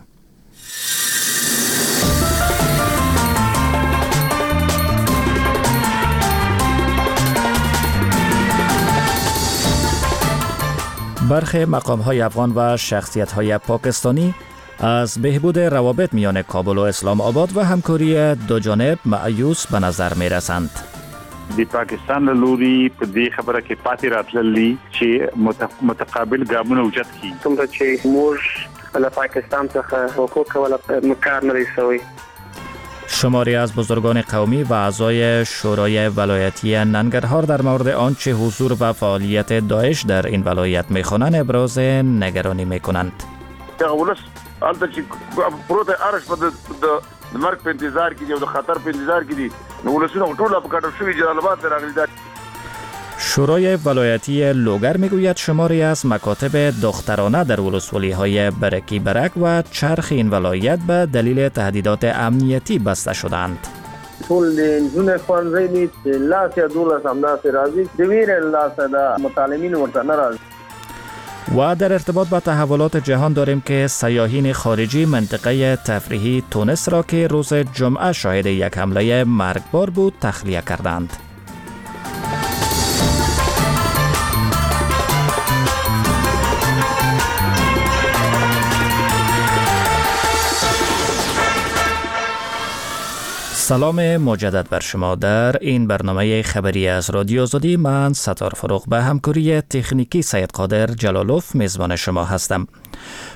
برخی مقام های افغان و شخصیت های پاکستانی از بهبود روابط میان کابل و اسلام آباد و همکاری دو جانب مایوس به نظر می رسند. د پاکستان له لوري په دې خبره کې پاتې راتللی چې متقابل ګامونه اوچت کړي. څومره چې موږ له پاکستان څخه حقوق ولا کار نه دی شوی. شماری از بزرگان قومی و اعضای شورای ولایتی ننگرهار در مورد آنچه حضور و فعالیت داعش در این ولایت میخوانند ابراز نگرانی میکنند. هلته چې پروت ارش په د مرګ په انتظار کې دی او د خطر په انتظار کې دي، نو ولسونه ټول په کډو شوي جلال آباد ته راغلي. شورای ولایتی لوگر میگوید شماری از مکاتب دخترانه در ولسوالی‌های برکی برک و چرخ این ولایت به دلیل تهدیدات امنیتی بسته شدند. ټول نجونې ښوونځی دي چې لاس یا دولس همداسې راځي، د ویرې له لاسه د متعلمین ورته نه راځي. و در ارتباط با تحولات جهان داریم که سیاحین خارجی منطقه تفریحی تونس را که روز جمعه شاهد یک حمله مرگبار بود تخلیه کردند. سلام مجدد بر شما در این برنامه خبری از رادیو آزادی. من ستار فروغ به همکاری تکنیکی سید قادر جلالوف میزبان شما هستم.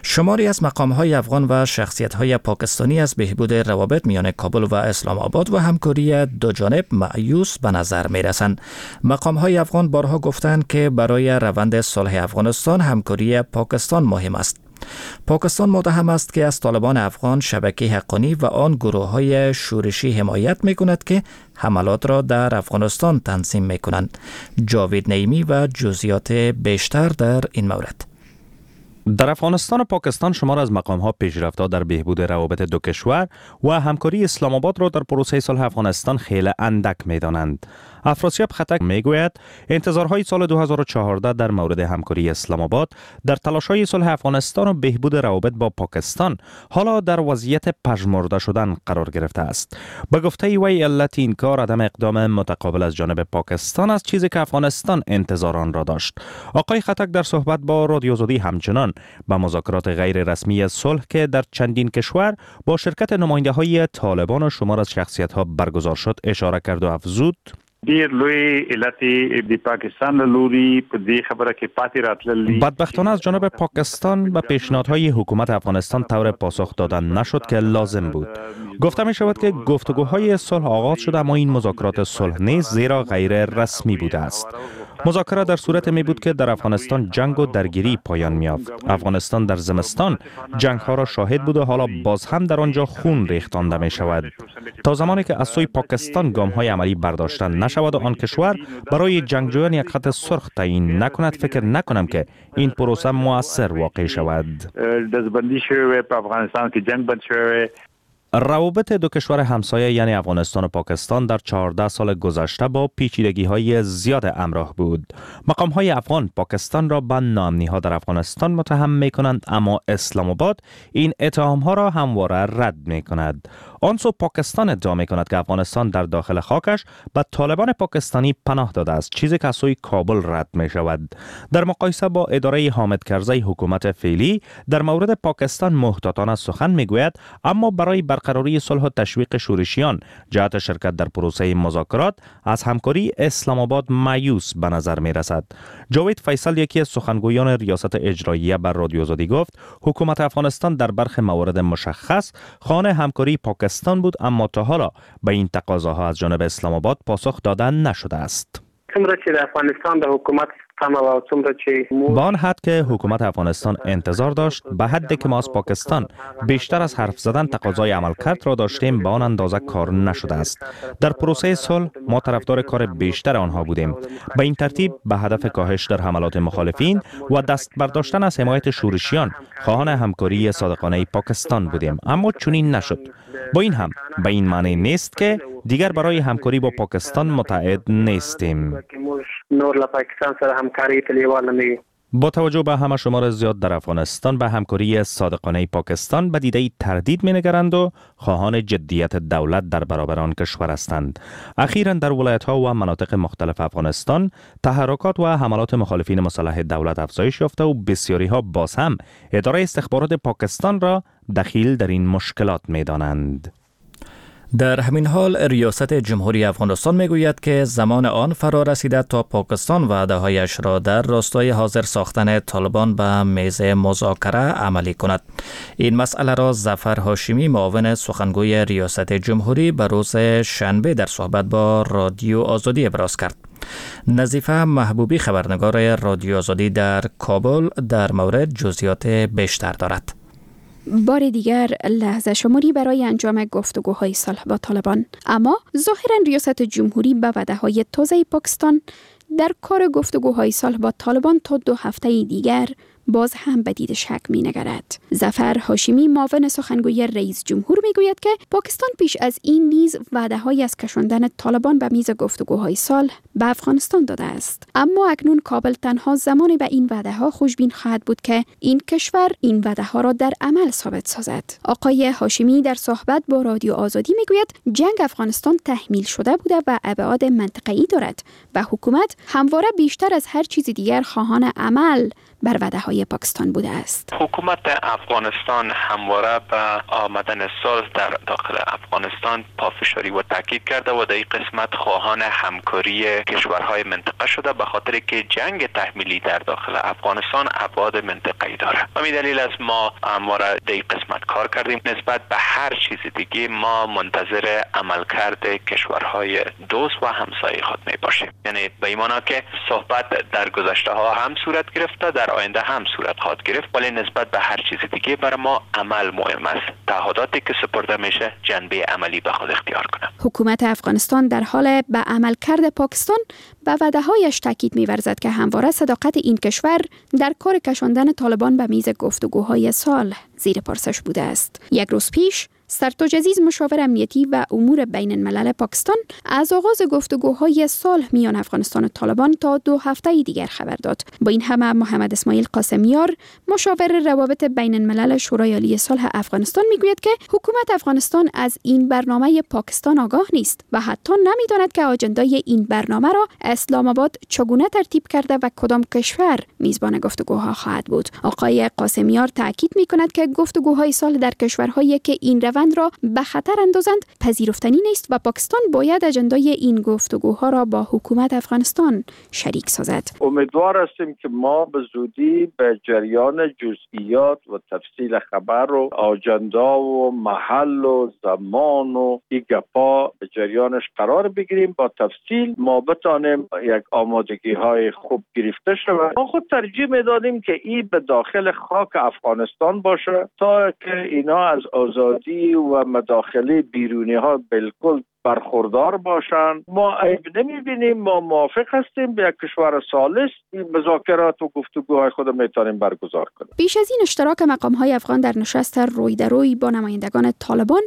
شماری از مقام‌های افغان و شخصیت‌های پاکستانی از بهبود روابط میان کابل و اسلام آباد و همکاری دو جانب مایوس به نظر می‌رسند. مقام‌های افغان بارها گفتند که برای روند صلح افغانستان همکاری پاکستان مهم است. پاکستان متهم است که از طالبان افغان، شبکه حقانی و آن گروه‌های شورشی حمایت می‌کند که حملات را در افغانستان تنظیم می‌کنند. جاوید نعیمی و جزئیات بیشتر در این مورد. در افغانستان و پاکستان شمار از مقام‌ها پیشرفت‌ها در بهبود روابط دو کشور و همکاری اسلام آباد را در پروسه صلح افغانستان خیلی اندک می‌دانند. افراسیاب ختک میگوید انتظارهای سال دو هزار و چهارده در مورد همکاری اسلام آباد در تلاش‌های صلح افغانستان و بهبود روابط با پاکستان حالا در وضعیت پژمرده شدن قرار گرفته است. به گفته وی علت این کار عدم اقدام متقابل از جانب پاکستان است، چیزی که افغانستان انتظار آن را داشت. آقای ختک در صحبت با رادیو آزادی همچنان به مذاکرات غیر رسمی صلح که در چندین کشور با شرکت نماینده‌های طالبان و شمار از شخصیت‌ها برگزار شد اشاره کرد و افزود: ډیر لوی علت د پاکستان له لوري په دې خبره کې پاتې راتلل دي. بدبختانه از جانب پاکستان به پیشنهادهای حکومت افغانستان طور پاسخ دادن نشد که لازم بود. گفته می شود که گفتگوهای صلح آغاز شده، اما این مذاکرات صلح نیست، زیرا غیر رسمی بوده است. مذاکره در صورت می بود که در افغانستان جنگ و درگیری پایان می یافت. افغانستان در زمستان جنگ ها را شاهد بود و حالا باز هم در آنجا خون ریختانده می شود. تا زمانی که از سوی پاکستان گام های عملی برداشتن نشود و آن کشور برای جنگجویان یک خط سرخ تعیین نکند، فکر نکنم که این پروسه مؤثر واقع شود. روابط دو کشور همسایه یعنی افغانستان و پاکستان در چهارده سال گذشته با پیچیدگی‌های زیاد همراه بود. مقام‌های افغان پاکستان را به ناامنی‌ها در افغانستان متهم می‌کنند، اما اسلام آباد این اتهام‌ها را همواره رد می‌کند. آن سو پاکستان ادعا می‌کند که افغانستان در داخل خاکش به طالبان پاکستانی پناه داده است، چیزی که از سوی کابل رد می‌شود. در مقایسه با اداره حامد کرزی حکومت فعلی در مورد پاکستان محتاطانه سخن می‌گوید، اما برای برقراری صلح و تشویق شورشیان جهت شرکت در پروسه مذاکرات از همکاری اسلام آباد مایوس به نظر می رسد. جاوید فیصل یکی از سخنگویان ریاست اجراییه بر رادیو آزادی گفت حکومت افغانستان در برخی موارد مشخص خانه همکاری پاکستان بود، اما تا حالا به این تقاضاها از جانب اسلام آباد پاسخ داده نشده است. با آن حد که حکومت افغانستان انتظار داشت، به حدی که ما از پاکستان بیشتر از حرف زدن تقاضای عملکرد را داشتیم، به آن اندازه کار نشده است. در پروسه صلح ما طرفدار کار بیشتر آنها بودیم. به این ترتیب به هدف کاهش در حملات مخالفین و دست برداشتن از حمایت شورشیان خواهان همکاری صادقانه پاکستان بودیم، اما چنین نشد. با این هم به این معنی نیست که دیگر برای همکاری با پاکستان متعهد نیستیم. با توجه به همه شمار زیاد در افغانستان به همکاری صادقانه پاکستان به دیده تردید می‌نگرند و خواهان جدیت دولت در برابر آن کشور هستند. اخیراً در ولایت‌ها و مناطق مختلف افغانستان تحرکات و حملات مخالفین مسلح دولت افزایش یافته و بسیاری‌ها باز هم اداره استخبارات پاکستان را دخیل در این مشکلات می‌دانند. در همین حال ریاست جمهوری افغانستان میگوید که زمان آن فرا رسیده تا پاکستان وعده‌هایش را در راستای حاضر ساختن طالبان به میز مذاکره عملی کند. این مسئله را ظفر هاشمی معاون سخنگوی ریاست جمهوری به روز شنبه در صحبت با رادیو آزادی ابراز کرد. نظیفه محبوبی خبرنگار رادیو آزادی در کابل در مورد جزئیات بیشتر دارد. بار دیگر لحظه شماری برای انجام گفتگوهای صلح با طالبان، اما ظاهرا ریاست جمهوری به وعده‌های تازه پاکستان در کار گفتگوهای صلح با طالبان تا دو هفته دیگر باز هم به دید شک می نگرد. ظفر هاشمی معاون سخنگوی رئیس جمهور می گوید که پاکستان پیش از این نیز وعده های از کشاندن طالبان به میز گفتگوهای صلح به افغانستان داده است، اما اکنون کابل تنها زمانی به این وعده ها خوشبین خواهد بود که این کشور این وعده ها را در عمل ثابت سازد. آقای هاشمی در صحبت با رادیو آزادی می گوید جنگ افغانستان تحمیل شده بوده و ابعاد منطقه‌ای دارد و حکومت همواره بیشتر از هر چیز دیگر خواهان عمل بر وعده های پاکستان بوده است. حکومت افغانستان همواره به آمدن صلح در داخل افغانستان پافشاری و تاکید کرده و در این قسمت خواهان همکاری کشورهای منطقه شده، به خاطر که جنگ تحمیلی در داخل افغانستان ابعاد منطقه‌ای داره. همین دلیل است ما همواره در این قسمت کار کردیم. نسبت به هر چیز دیگه ما منتظر عملکرد کشورهای دوست و همسایه خود می باشیم. یعنی به این معنا که صحبت در گذشته ها هم صورت گرفته، در در آینده هم صورت خواهد گرفت، ولی نسبت به هر چیز دیگه برای ما عمل مهم است. تعهداتی که سپرده میشه جنبه عملی به خود اختیار کنه. حکومت افغانستان در حال به عملکرد پاکستان به وعده‌هایش تاکید می‌ورزد که همواره صداقت این کشور در کار کشاندن طالبان به میز گفتگوهای صلح زیر پرسش بوده است. یک روز پیش سرتاج عزیز، مشاور امنیتی و امور بین الملل پاکستان، از آغاز گفتگوهای صلح میان افغانستان و طالبان تا دو هفته دیگر خبر داد. با این همه محمد اسماعیل قاسمیار، مشاور روابط بین الملل شورای عالی صلح افغانستان، میگوید که حکومت افغانستان از این برنامه پاکستان آگاه نیست و حتی نمیداند که آجندای این برنامه را اسلام آباد چگونه ترتیب کرده و کدام کشور میزبان گفتگوها خواهد بود. آقای قاسمیار تاکید میکند که گفتگوهای صلح در کشورهایی که این روند را به خطر اندازند پذیرفتنی نیست و پاکستان باید اجندای این گفتگوها را با حکومت افغانستان شریک سازد. امیدوار هستیم که ما به زودی به جریان جزئیات و تفصیل خبر و آجندا و محل و زمان و این گپا به جریانش قرار بگیریم. با تفصیل ما بتانیم یک آمادگی های خوب گرفته شود. ما خود ترجیح میدادیم که این به داخل خاک افغانستان باشه تا که اینا از آزادی و مداخله بیرونی ها بالکل برخوردار باشند. ما عیب نمیبینیم، ما موافق هستیم به یک کشور ثالث مذاکرات و گفتگوهای خود میتونیم برگزار کنیم. پیش از این اشتراک مقام های افغان در نشست روی در روی با نمایندگان طالبان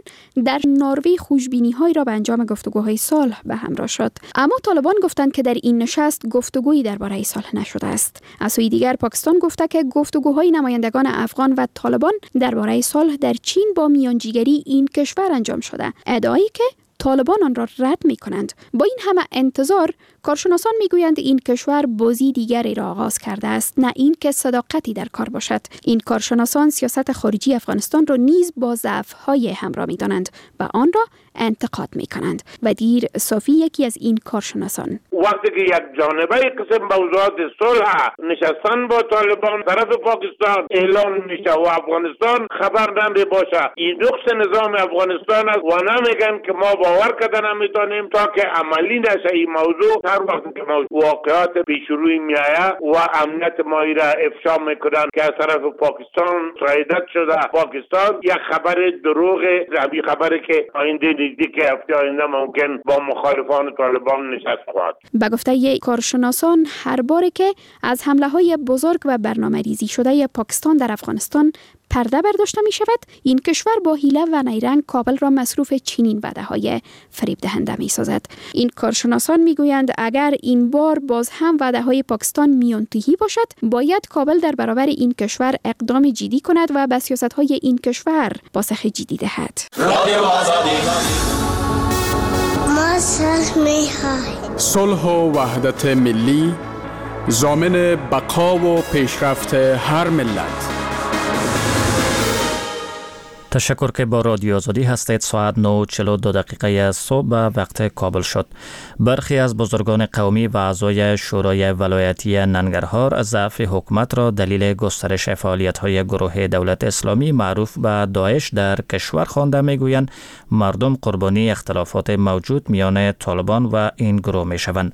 در نروژ خوشبینی های را به انجام گفتگوهای صلح به همراه شد، اما طالبان گفتند که در این نشست گفتگویی درباره صلح نشده است. از سوی دیگر پاکستان گفته که گفتگوهای نمایندگان افغان و طالبان درباره صلح در چین با میانجیگری این کشور انجام شده، ادعایی که طالبان آن را رد می کنند. با این همه انتظار، کارشناسان می گویند این کشور بازی دیگری را آغاز کرده است، نه این که صداقتی در کار باشد. این کارشناسان سیاست خارجی افغانستان را نیز با ضعف‌های همراه می دانند و آن را انتقاد می کنند. ودیر صافی یکی از این کارشناسان: وقتی که یک جانبه قسم موضوعات صلح نشستن با طالبان طرف پاکستان اعلان میشه و افغانستان خبر نمی باشه، این نقص نظام افغانستان است و نمیگن که ما باور کردن نمیتونیم تا که عملی نشه این موضوع. هر وقت که واقعات پیشروی میآید و امنیت ما را افشا میکنن که از طرف پاکستان سرایت شده، پاکستان یک خبر دروغ، همین خبری که آینده نزدیک هفته آینده ممکن با مخالفان طالبان نشست خواهد. به گفته کارشناسان، هر باری که از حمله های بزرگ و برنامه ریزی شده پاکستان در افغانستان پرده برداشته می شود، این کشور با حیله و نیرنگ کابل را مصروف چنین وعده های فریب دهنده می سازد. این کارشناسان می گویند اگر این بار باز هم وعده های پاکستان میانتهی باشد، باید کابل در برابر این کشور اقدام جدی کند و به سیاست های این کشور پاسخ جدی دهد. ما صلح می خواهیم. صلح و وحدت ملی ضامن بقا و پیشرفت هر ملت. تشکر که با رادیو آزادی هستید. ساعت نه و چهل و دو دقیقه صبح به وقت کابل شد. برخی از بزرگان قومی و اعضای شورای ولایتی ننگرهار ضعف حکومت را دلیل گسترش فعالیت‌های گروه دولت اسلامی معروف به داعش در کشور خوانده می‌گویند مردم قربانی اختلافات موجود میان طالبان و این گروه می‌شوند.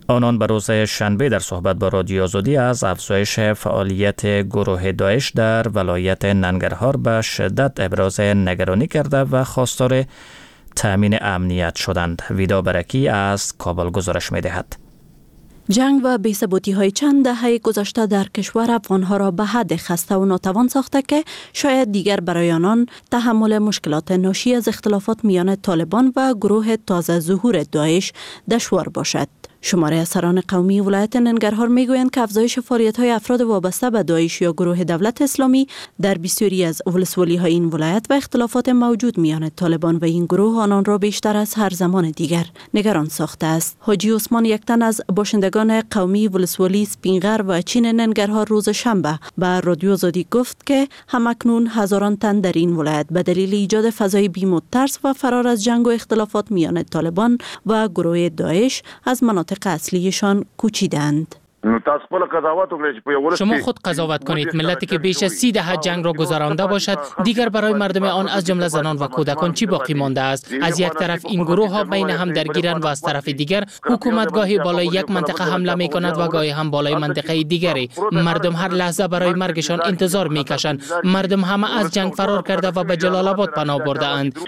آنان به روز شنبه در صحبت با رادیو آزادی از افزایش فعالیت گروه داعش در ولایت ننگرهار به شدت ابراز نگرانی کرده و خواستار تامین امنیت شدند. ویدا برکی از کابل گزارش می‌دهد. جنگ و بی‌ثباتی های چند دهه گذشته در کشور افغانها را به حد خسته و ناتوان ساخته که شاید دیگر برای آنان تحمل مشکلات ناشی از اختلافات میان طالبان و گروه تازه ظهور داعش دشوار باشد. شماره از سران قومی ولایت ننگرهار میگویند که افزایش فعالیت‌های افراد وابسته به داعش یا گروه دولت اسلامی در بسیاری از ولسوالی‌های این ولایت و اختلافات موجود میان طالبان و این گروه آنان را بیشتر از هر زمان دیگر نگران ساخته است. حاجی عثمان یک تن از باشندگان قومی ولسوالی سپینغر و چین ننگرهار روز شنبه به رادیو آزادی گفت که همکنون هزاران تن در این ولایت به دلیل ایجاد فضای بیم و ترس و فرار از جنگ و اختلافات میان طالبان و گروه داعش از مناطق اصلیشان کوچیدند. شما خود قضاوت کنید. ملتی که بیش از سی دهه جنگ را گذرانده باشد، دیگر برای مردم آن از جمله زنان و کودکان چی باقی مانده است؟ از یک طرف این گروه ها بین هم درگیرند و از طرف دیگر حکومت گاهی بالای یک منطقه حمله می کند و گاهی هم بالای منطقه دیگری. مردم هر لحظه برای مرگشان انتظار می کشند. مردم همه از جنگ فرار کرده و به جلال آباد پناه برده اند.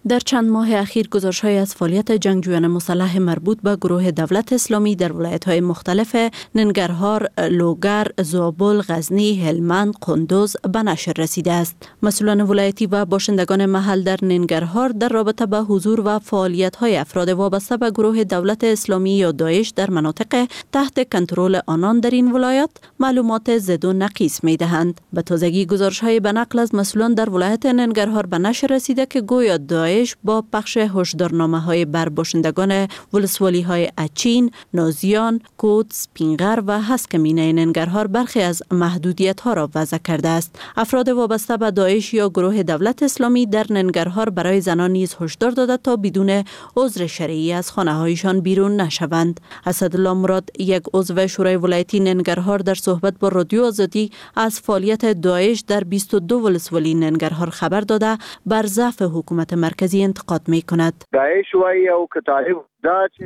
در چند ماه اخیر گزارش‌های از فعالیت جنگجویان مسلح مربوط به گروه دولت اسلامی در ولایت‌های مختلف ننگرهار، لوگر، زابل، غزنی، هلمند، قندوز به نشر رسیده است. مسئولان ولایتی و باشندگان محل در ننگرهار در رابطه به حضور و فعالیت‌های افراد وابسته به گروه دولت اسلامی یا داعش در مناطق تحت کنترل آنان در این ولایت معلومات زد و نقیص می‌دهند. به تازگی گزارش‌های به نقل از مسئولان در ولایت ننگرهار به نشر رسیده که گویا داعش با پخش هشدارنامه های بر باشندگان ولسوالی های اچین، نازیان، کوت، سپینغر و هسکمینه ننگرهار برخی از محدودیت ها را وضع کرده است. افراد وابسته به داعش یا گروه دولت اسلامی در ننگرهار برای زنان نیز هشدار داده تا بدون عذر شرعی از خانه هایشان بیرون نشوند. اسدالله مراد، یک عضو شورای ولایتی ننگرهار، در صحبت با رادیو آزادی از فعالیت داعش در بیست و دو ولسوالی ننگرهار خبر داده بر ضعف حکومت مرکزی انتقاد می کند.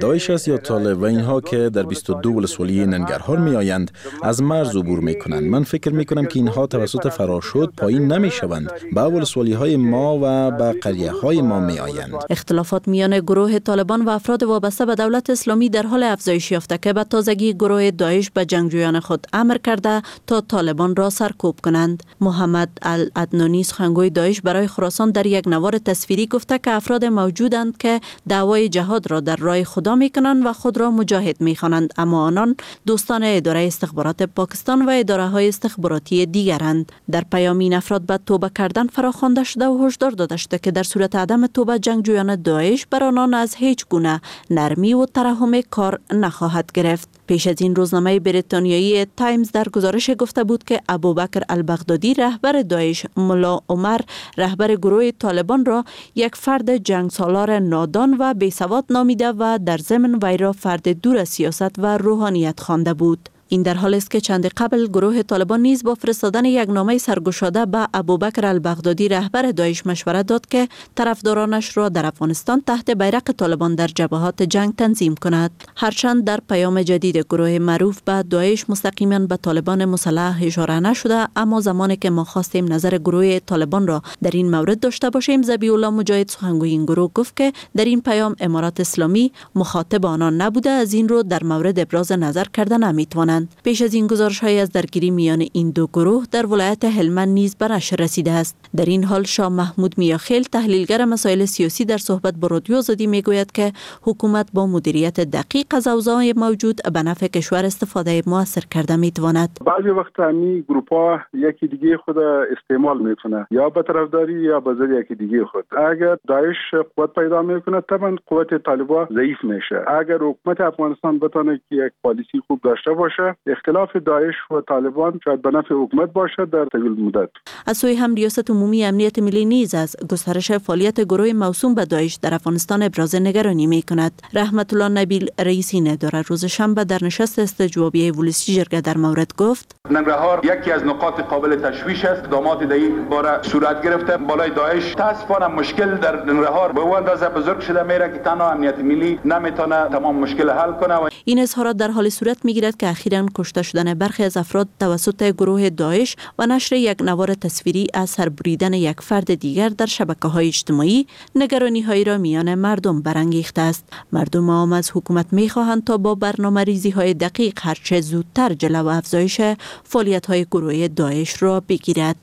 داعش است یا طالب و اینها که در بیست و دو ولسوالی ننگرهار می آیند از مرز عبور می کنند. من فکر می کنم که اینها توسط فراشد پایین نمی شوند، به ولسوالی های ما و به قریه های ما می آیند. اختلافات میان گروه طالبان و افراد وابسته به دولت اسلامی در حال افزایش یافته که به تازگی گروه داعش به جنگجویان خود امر کرده تا طالبان را سرکوب کنند. محمد العدنانی، سخنگوی داعش برای خراسان، در یک نوار تصویری گفته که افراد موجودند که دعوای جهاد را در راه خدا میکنند و خود را مجاهد میخوانند، اما آنان دوستان اداره استخبارات پاکستان و اداره های استخباراتی دیگرند. در پیام این افراد به توبه کردن فراخوانده شده و هشدار داده شده که در صورت عدم توبه جنگجویان داعش بر آنان از هیچ گونه نرمی و ترحم کار نخواهد گرفت. پیش از این روزنامه بریتانیایی تایمز در گزارش گفته بود که ابوبکر البغدادی، رهبر داعش، ملا عمر، رهبر گروه طالبان را یک فرد جنگسالار نادان و بیسواد نامیده و در ضمن وی را فرد دور از سیاست و روحانیت خوانده بود. این در حال است که چند قبل گروه طالبان نیز با فرستادن یک نامه سرگشاده به ابوبکر البغدادی، رهبر داعش، مشوره داد که طرفدارانش را در افغانستان تحت بیرق طالبان در جبهات جنگ تنظیم کند. هرچند در پیام جدید گروه معروف به داعش مستقیما به طالبان مسلح اشاره نشده، اما زمانی که ما خواستیم نظر گروه طالبان را در این مورد داشته باشیم، ذبیح الله مجاهد، سخنگوی این گروه، گفت که در این پیام امارات اسلامی مخاطب آنان نبوده، از این رو در مورد ابراز نظر کرده نمیتوانند. پیش از این گزارش‌های از درگیری میان این دو گروه در ولایت هلمند نیز به نشر رسیده است. در این حال شاه محمود میاخیل، تحلیلگر مسائل سیاسی، در صحبت با رادیو آزادی میگوید که حکومت با مدیریت دقیق از اوضاع موجود به نفع کشور استفاده موثر کرده میتواند. بعضی وقت همی گروپ‌ها یکی دیگه خود استعمال میکنه، یا به طرفداری یا به ضد یکی دیگه خود. اگر داعش قوت پیدا میکنه طبعا قوت طالبان ضعیف میشه. اگر حکومت افغانستان بتونه که یک پالیسی خوب داشته باشه، اختلاف داعش و طالبان شاید به نفع حکومت باشد در طول مدت. از سوی هم ریاست عمومی امنیت ملی نیز از گسترش فعالیت گروه موسوم به داعش در افغانستان ابراز نگرانی می کند. رحمت الله نبیل، رئیس این اداره، روز شنبه در نشست استجوابیه ولسی جرگه در مورد گفت: ننگرهار یکی از نقاط قابل تشویش است. اقدامات در این باره صورت گرفته بالای داعش. متاسفانه مشکل در ننگرهار به اندازه بزرگ شده میره که تنها امنیت ملی نمیتونه تمام مشکل حل کنه. این اظهارات در حال صورت میگیرد که اخیراً کشته شدن برخی از افراد توسط گروه داعش و نشر یک نوار تصویری از سربریدن یک فرد دیگر در شبکه‌های اجتماعی نگرانی‌هایی را میان مردم برانگیخته است. مردم عام از حکومت می‌خواهند تا با برنامه‌ریزی‌های دقیق هرچه زودتر جلو افزایش فعالیت‌های گروه داعش را بگیرد.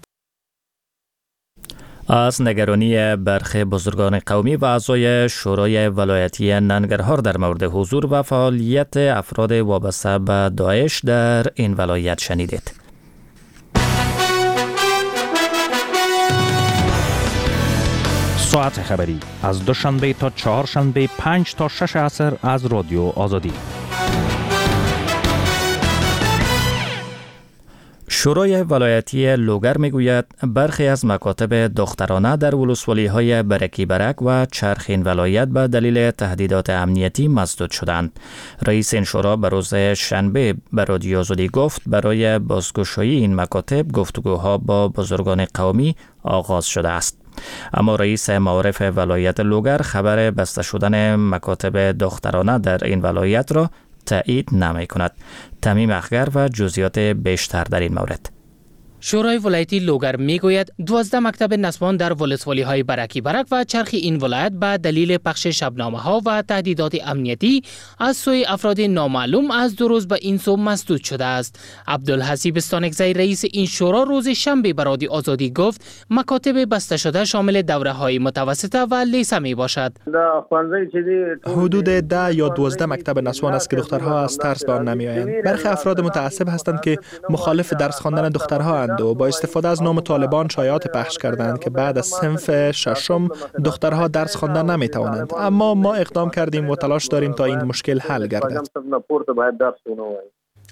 از نگرانی برخی بزرگان قومی و اعضای شورای ولایتی ننگرهار در مورد حضور و فعالیت افراد وابسته به داعش در این ولایت شنیدید. ساعت خبری از دوشنبه تا چهارشنبه پنج تا شش عصر از رادیو آزادی. شورای ولایتی لوگر میگوید برخی از مکاتب دخترانه در ولسوالی‌های برکی برک و چرخین ولایت به دلیل تهدیدات امنیتی مسدود شدند. رئیس این شورا به روز شنبه به رادیو آزادی گفت برای بازگشایی این مکاتب گفتگوها با بزرگان قومی آغاز شده است. اما رئیس معارف ولایت لوگر خبر بسته شدن مکاتب دخترانه در این ولایت را تایید نمی کند. تمیم اخگر و جزئیات بیشتر در این مورد. شورای ولایتی لوگر میگوید دوازده مکتب نسوان در ولسوالی های برکی برک و چرخ این ولایت به دلیل پخش شبنامه ها و تهدیدات امنیتی از سوی افراد نامعلوم از دو روز به این سو مسدود شده است. عبدالحسیب استانکزی رئیس این شورا روز شنبه به رادیو آزادی گفت مکاتب بسته شده شامل دوره های متوسطه و لیسه می باشد. حدود ده یا دوازده مکتب نسوان است که دخترها از ترس به آن نمی آیند. برخی افراد متعصب هستند که مخالف درس خواندن دخترها و با استفاده از نام طالبان شایعات پخش کردند که بعد از صنف ششم دخترها درس خواندن نمی توانند. اما ما اقدام کردیم و تلاش داریم تا این مشکل حل گردد.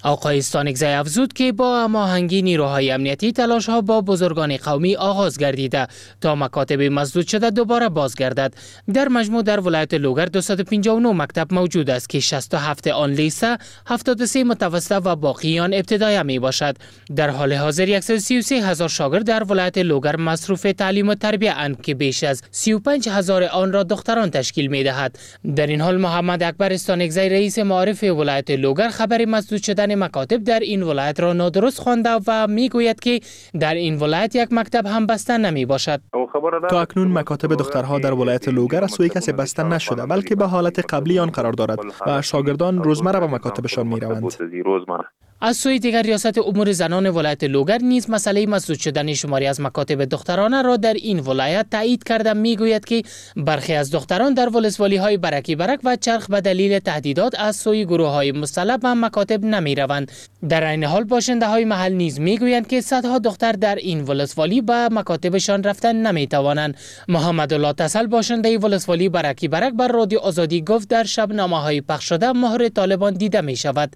آقای استانکزی افزود که با هماهنگی نیروهای امنیتی تلاش ها با بزرگان قومی آغاز گردیده تا مکاتب مسدود شده دوباره بازگردد. در مجموع در ولایت لوگر دویست و پنجاه و نه مکتب موجود است که شصت و هفت آن لیسه، هفتاد و سه متوسطه و باقی آن ابتدایی می باشد. در حال حاضر صد و سی و سه هزار شاگرد در ولایت لوگر مصروف تعلیم و تربیه اند که بیش از سی و پنج هزار آن را دختران تشکیل می دهد. در این حال محمد اکبر استانکزی رئیس معارف ولایت لوگر خبر مسدود شدن مکاتب در این ولایت را نادرست خوانده و میگوید که در این ولایت یک مکتب هم بسته نمی باشد. تا اکنون مکاتب دخترها در ولایت لوگر از سوی کسی بسته نشده، بلکه به حالت قبلی آن قرار دارد و شاگردان روزمره به مکاتبشان می روند. از سوی دیگر ریاست امور زنان ولایت لوگر نیز مسئله مسدود شدن شماری از مکاتب دخترانه را در این ولایت تایید کرده میگوید که برخی از دختران در ولسوالی های برکی برک و چرخ به دلیل تهدیدات از سوی گروه های مسلح به مکاتب نمی روند. در این حال باشنده های محل نیز میگویند که صدها دختر در این ولسوالی به مکاتبشان رفتن نمی توانند. محمد الله تسل باشنده ولسوالی برکی برک بر رادیو آزادی گفت در شبنامه های پخش شده مهر طالبان دیده می شود.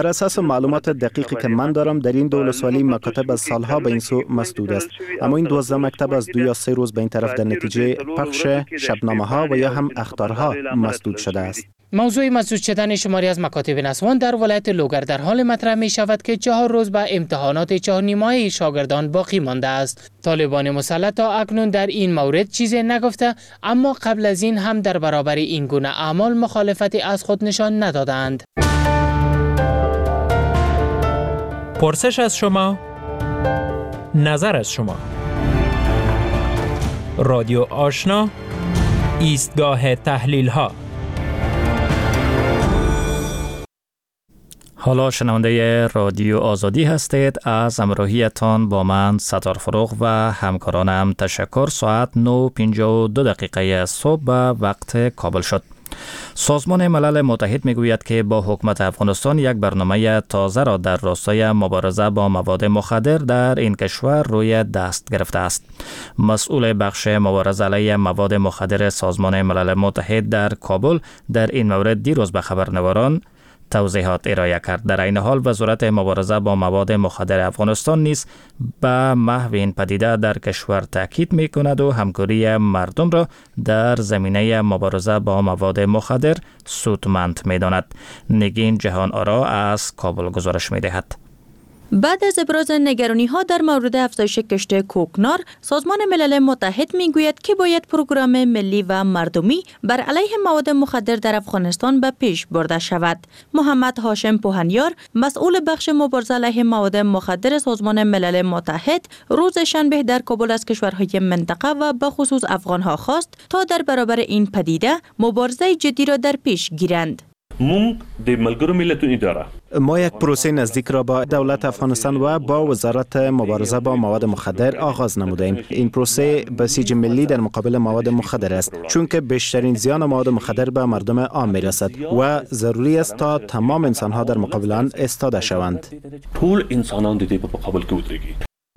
بر اساس معلومات دقیقی که من دارم در این دو ولسوالی مکاتب از سالها به این سو مسدود است، اما این دوازده مکتب از دو یا سه روز به این طرف در نتیجه پخش شبنامه ها و یا هم اخطارها مسدود شده است. موضوع مسدود شدن شماری از مکاتب نسوان در ولایت لوگر در حال مطرح می شود که چهار روز به امتحانات چهار نیمه شاگردان باقی مانده است. طالبان مسلح تا اکنون در این مورد چیزی نگفته، اما قبل از این هم در برابر این گونه اعمال مخالفتی از خود نشان ندادند. پرسش از شما، نظر از شما. رادیو آشنا، ایستگاه تحلیل ها. حالا شنونده رادیو آزادی هستید. از همراهیتان با من ستار فروغ و همکارانم تشکر. ساعت نه و پنجاه و دو دقیقه صبح به وقت کابل شد. سازمان ملل متحد میگوید که با حکومت افغانستان یک برنامه تازه را در راستای مبارزه با مواد مخدر در این کشور روی دست گرفته است. مسئول بخش مبارزه علیه مواد مخدر سازمان ملل متحد در کابل در این مورد دیروز به خبرنگاران توضیحات ارائه کرد. در این حال وزارت مبارزه با مواد مخدر افغانستان نیز به محو این پدیده در کشور تاکید می کند و همکاری مردم را در زمینه مبارزه با مواد مخدر سودمند می داند. نگین جهان آرا از کابل گزارش می دهد. بعد از ابراز نگرانی ها در مورد افزایش کشت کوکنار، سازمان ملل متحد میگوید که باید پروگرام ملی و مردمی بر علیه مواد مخدر در افغانستان به پیش برده شود. محمد هاشم پوهنیار، مسئول بخش مبارزه علیه مواد مخدر سازمان ملل متحد، روز شنبه در کابل از کشورهای منطقه و به خصوص افغانها خواست تا در برابر این پدیده مبارزه جدی را در پیش گیرند. ما یک پروسه نزدیک را با دولت افغانستان و با وزارت مبارزه با مواد مخدر آغاز نمودیم. این پروسه بسیج ملی در مقابل مواد مخدر است، چون که بیشترین زیان مواد مخدر به مردم عام میرسد و ضروری است تا تمام انسانها در مقابل آن ایستاده شوند.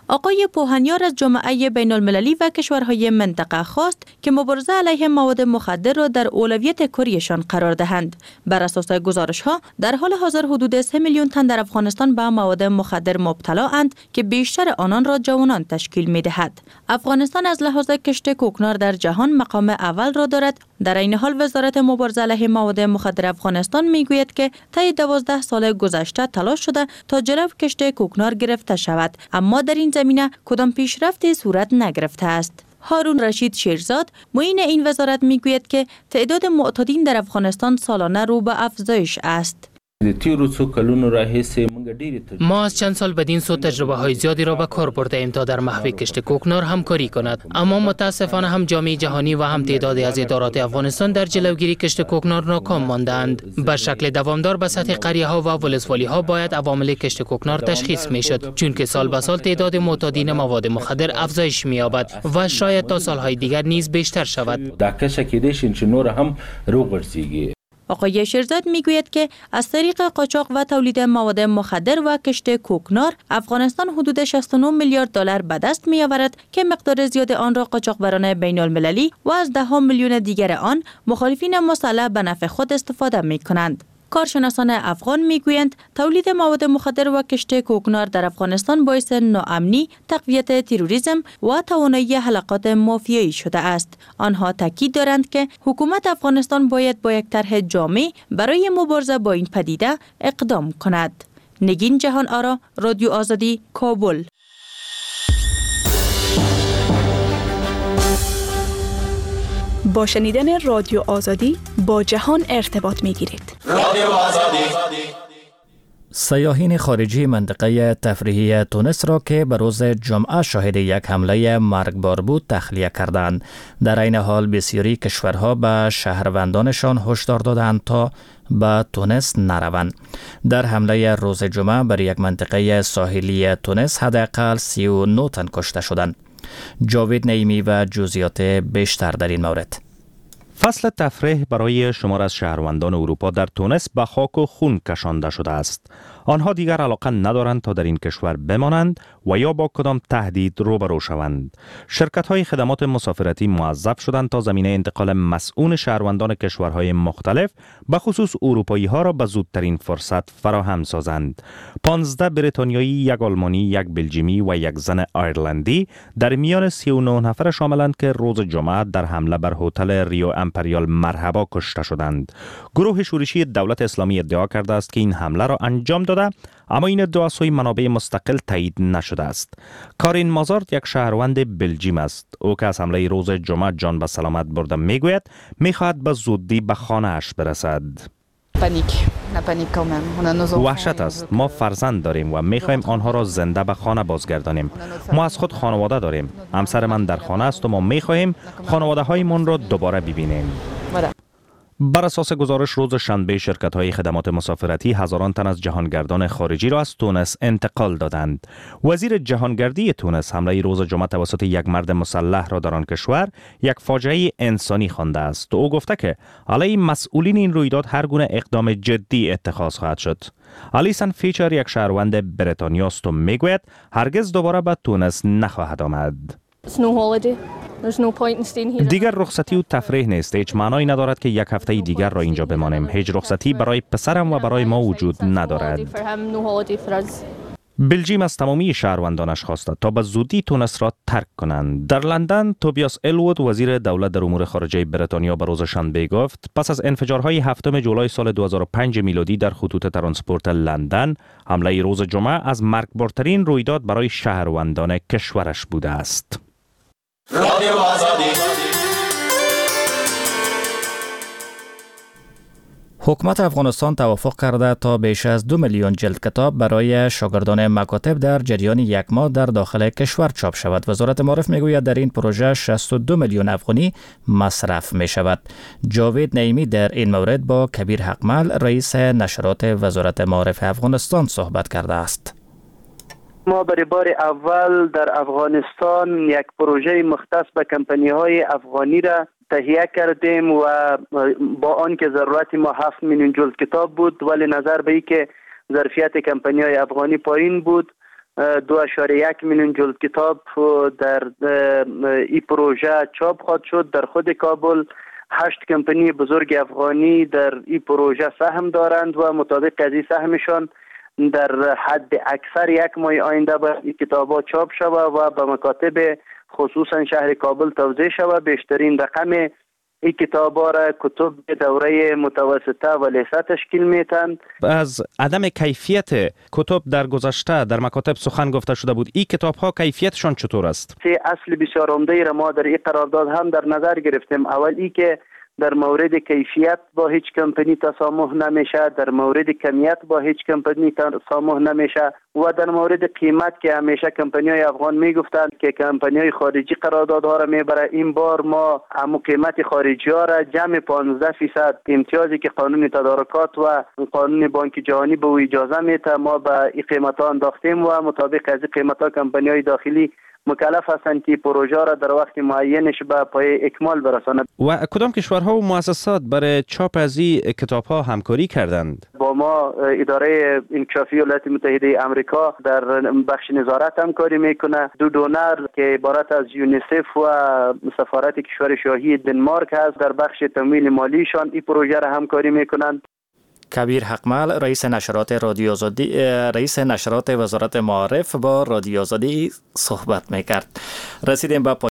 آقای پوهنیار از جامعه بین المللی و کشورهای منطقه خواست که مبارزه علیه مواد مخدر را در اولویت کاریشان قرار دهند. بر اساس گزارش ها در حال حاضر حدود سه میلیون تن در افغانستان به مواد مخدر مبتلا اند که بیشتر آنان را جوانان تشکیل می دهد. افغانستان از لحاظ کشت کوکنار در جهان مقام اول را دارد. در این حال وزارت مبارزه علیه مواد مخدر افغانستان می گوید که طی دوازده سال گذشته تلاش شده تا جلو کشت کوکنار گرفته شود، اما در این زمینه کدام پیشرفتی صورت نگرفته است. هارون رشید شیرزاد معین این وزارت میگوید که تعداد معتادین در افغانستان سالانه رو به افزایش است. ما از چند سال بدین سو تجربه های زیادی را به کار برده ایم تا در محو کشت کوکنار همکاری کند، اما متاسفانه هم جامعه جهانی و هم تعدادی از ادارات افغانستان در جلوگیری کشت کوکنار ناکام ماندند. به شکل دوامدار به سطح قریه ها و ولسوالی ها باید عوامل کشت کوکنار تشخیص می شد، چون که سال به سال تعداد معتادین مواد مخدر افزایش می یابد و شاید تا سالهای دیگر نیز بیشتر شود. آقای شیرزاد میگوید که از طریق قاچاق و تولید مواد مخدر و کشت کوکنار افغانستان حدود شصت و نه میلیارد دلار به دست می‌آورد که مقدار زیاد آن را قاچاقبران بین المللی و از ده میلیون دیگر آن مخالفین مسلح به نفع خود استفاده می‌کنند. کارشناسان افغان میگویند تولید مواد مخدر و کشت کوکنار در افغانستان باعث ناامنی، تقویت تروریسم و توانایی حلقات مافیایی شده است. آنها تاکید دارند که حکومت افغانستان باید با یک طرح جامع برای مبارزه با این پدیده اقدام کند. نگین جهان آرا، رادیو آزادی، کابل. با شنیدن رادیو آزادی با جهان ارتباط میگیرید. رادیو آزادی. سیاحین خارجی منطقه تفریحی تونس را که به روز جمعه شاهد یک حمله مرگبار بود تخلیه کردند. در این حال بسیاری کشورها به شهروندانشان هشدار دادند تا به تونس نروند. در حمله روز جمعه بر یک منطقه ساحلی تونس حداقل سی و نه تن کشته شدند. جاوید نعیمی و جزئیات بیشتر در این مورد. فصل تفریح برای شمار از شهروندان اروپا در تونس به خاک و خون کشانده شده است. آنها دیگر علاقه ندارند تا در این کشور بمانند و یا با کدام تهدید روبرو شوند. شرکت‌های خدمات مسافرتی موظف شدند تا زمینه انتقال مسئول شهروندان کشورهای مختلف به خصوص اروپایی‌ها را به زودترین فرصت فراهم سازند. پانزده بریتانیایی، یک آلمانی، یک بلژیمی و یک زن آیرلندی در میان سی و نه نفر شاملند که روز جمعه در حمله بر هتل ریو امپریال مرحبا کشته شدند. گروه شورشی دولت اسلامی ادعا کرده است که این حمله را انجام داده، اما این ادعا سوی منابع مستقل تایید نشده است. کارین مازارد یک شهروند بلژیم است. او که از حمله روز جمعه جان به سلامت برده میگوید میخواهد به زودی به خانه اش برسد. وحشت است. ما فرزند داریم و میخواهیم آنها را زنده به خانه بازگردانیم. ما از خود خانواده داریم. همسر من در خانه است و ما میخواهیم خانواده هایمان را دوباره ببینیم. بر اساس گزارش روز شنبه شرکت‌های خدمات مسافرتی هزاران تن از جهانگردان خارجی را از تونس انتقال دادند. وزیر جهانگردی تونس حمله روز جمعه توسط یک مرد مسلح را در آن کشور یک فاجعه انسانی خوانده است. او گفته که علیه مسئولین این رویداد هر گونه اقدام جدی اتخاذ خواهد شد. الیسن فیچر یک شهروند بریتانیا است و میگوید هرگز دوباره به تونس نخواهد آمد. دیگر رخصتی و تفریح نیست. هیچ معنایی ندارد که یک هفته دیگر را اینجا بمانیم. هیچ رخصتی برای پسرم و برای ما وجود ندارد. بلژیم از تمامی شهروندانش خواسته تا به زودی تونس را ترک کنند. در لندن توبیاس الوود وزیر دولت در امور خارجه بریتانیا به روز شنبه گفت پس از انفجارهای هفتم جولای سال دو هزار و پنج میلادی در خطوط ترانسپورت لندن، حمله روز جمعه از مرگبارترین رویداد برای شهروندان کشورش بوده است. رادیو آزادی. حکومت افغانستان توافق کرده تا بیش از دو میلیون جلد کتاب برای شاگردان مکاتب در جریان یک ماه در داخل کشور چاپ شود. وزارت معارف میگوید در این پروژه شصت و دو میلیون افغانی مصرف می شود. جاوید نعیمی در این مورد با کبیر حقمل رئیس نشرات وزارت معارف افغانستان صحبت کرده است. ما برای بار اول در افغانستان یک پروژه مختص به کمپانی های افغانی را تهیه کردیم و با آنکه ضرورت ما هفت میلیون جلد کتاب بود، ولی نظر به اینکه ظرفیت کمپانی های افغانی پایین بود، دو اعشاریه یک میلیون جلد کتاب در این پروژه چاپ خواهد شد. در خود کابل هشت کمپانی بزرگ افغانی در این پروژه سهم دارند و مطابق از این سهمشان در حد اکثر یک ماه آینده باید این کتاب‌ها چاپ شود و به مکاتب خصوصا شهر کابل توزیع شود. بیشترین رقم این کتاب‌ها را کتب دوره متوسطه و لیسه تشکیل میتن. از عدم کیفیت کتب در گذشته در مکاتب سخن گفته شده بود، این کتاب‌ها کیفیتشان چطور است؟ سه اصل بسیار عمده را ما در این قرارداد هم در نظر گرفتیم. اول ای که در مورد کیفیت با هیچ کمپانی تسامح نمیشه، در مورد کمیت با هیچ کمپانی تسامح نمیشه و در مورد قیمت که همیشه کمپانی های افغان میگفتند که کمپانی های خارجی قراردادها را میبره، این بار ما همو قیمت خارجی ها را جمع پانزده فیصد امتیازی که قانون تدارکات و قانون بانک جهانی به او اجازه میده ما به این قیمت ها انداختیم و مطابق از این قیمت ها کمپانی های داخلی مکلف هستند که پروژه را در وقت معینش به پای اکمال برسانند. و کدام کشورها و مؤسسات برای چاپ از این کتاب‌ها همکاری کردند؟ با ما اداره انکشافی ایالات متحده امریکا در بخش نظارت همکاری میکنه. دو donor که عبارت از یونیسف و سفارت کشور شاهی دنمارک هست در بخش تمویل مالیشان این پروژه را همکاری میکنند. کبیر حقمل، رئیس نشرات رادیو آزادی، رئیس نشرات وزارت معارف با رادیو آزادی صحبت میکرد. رسیدیم به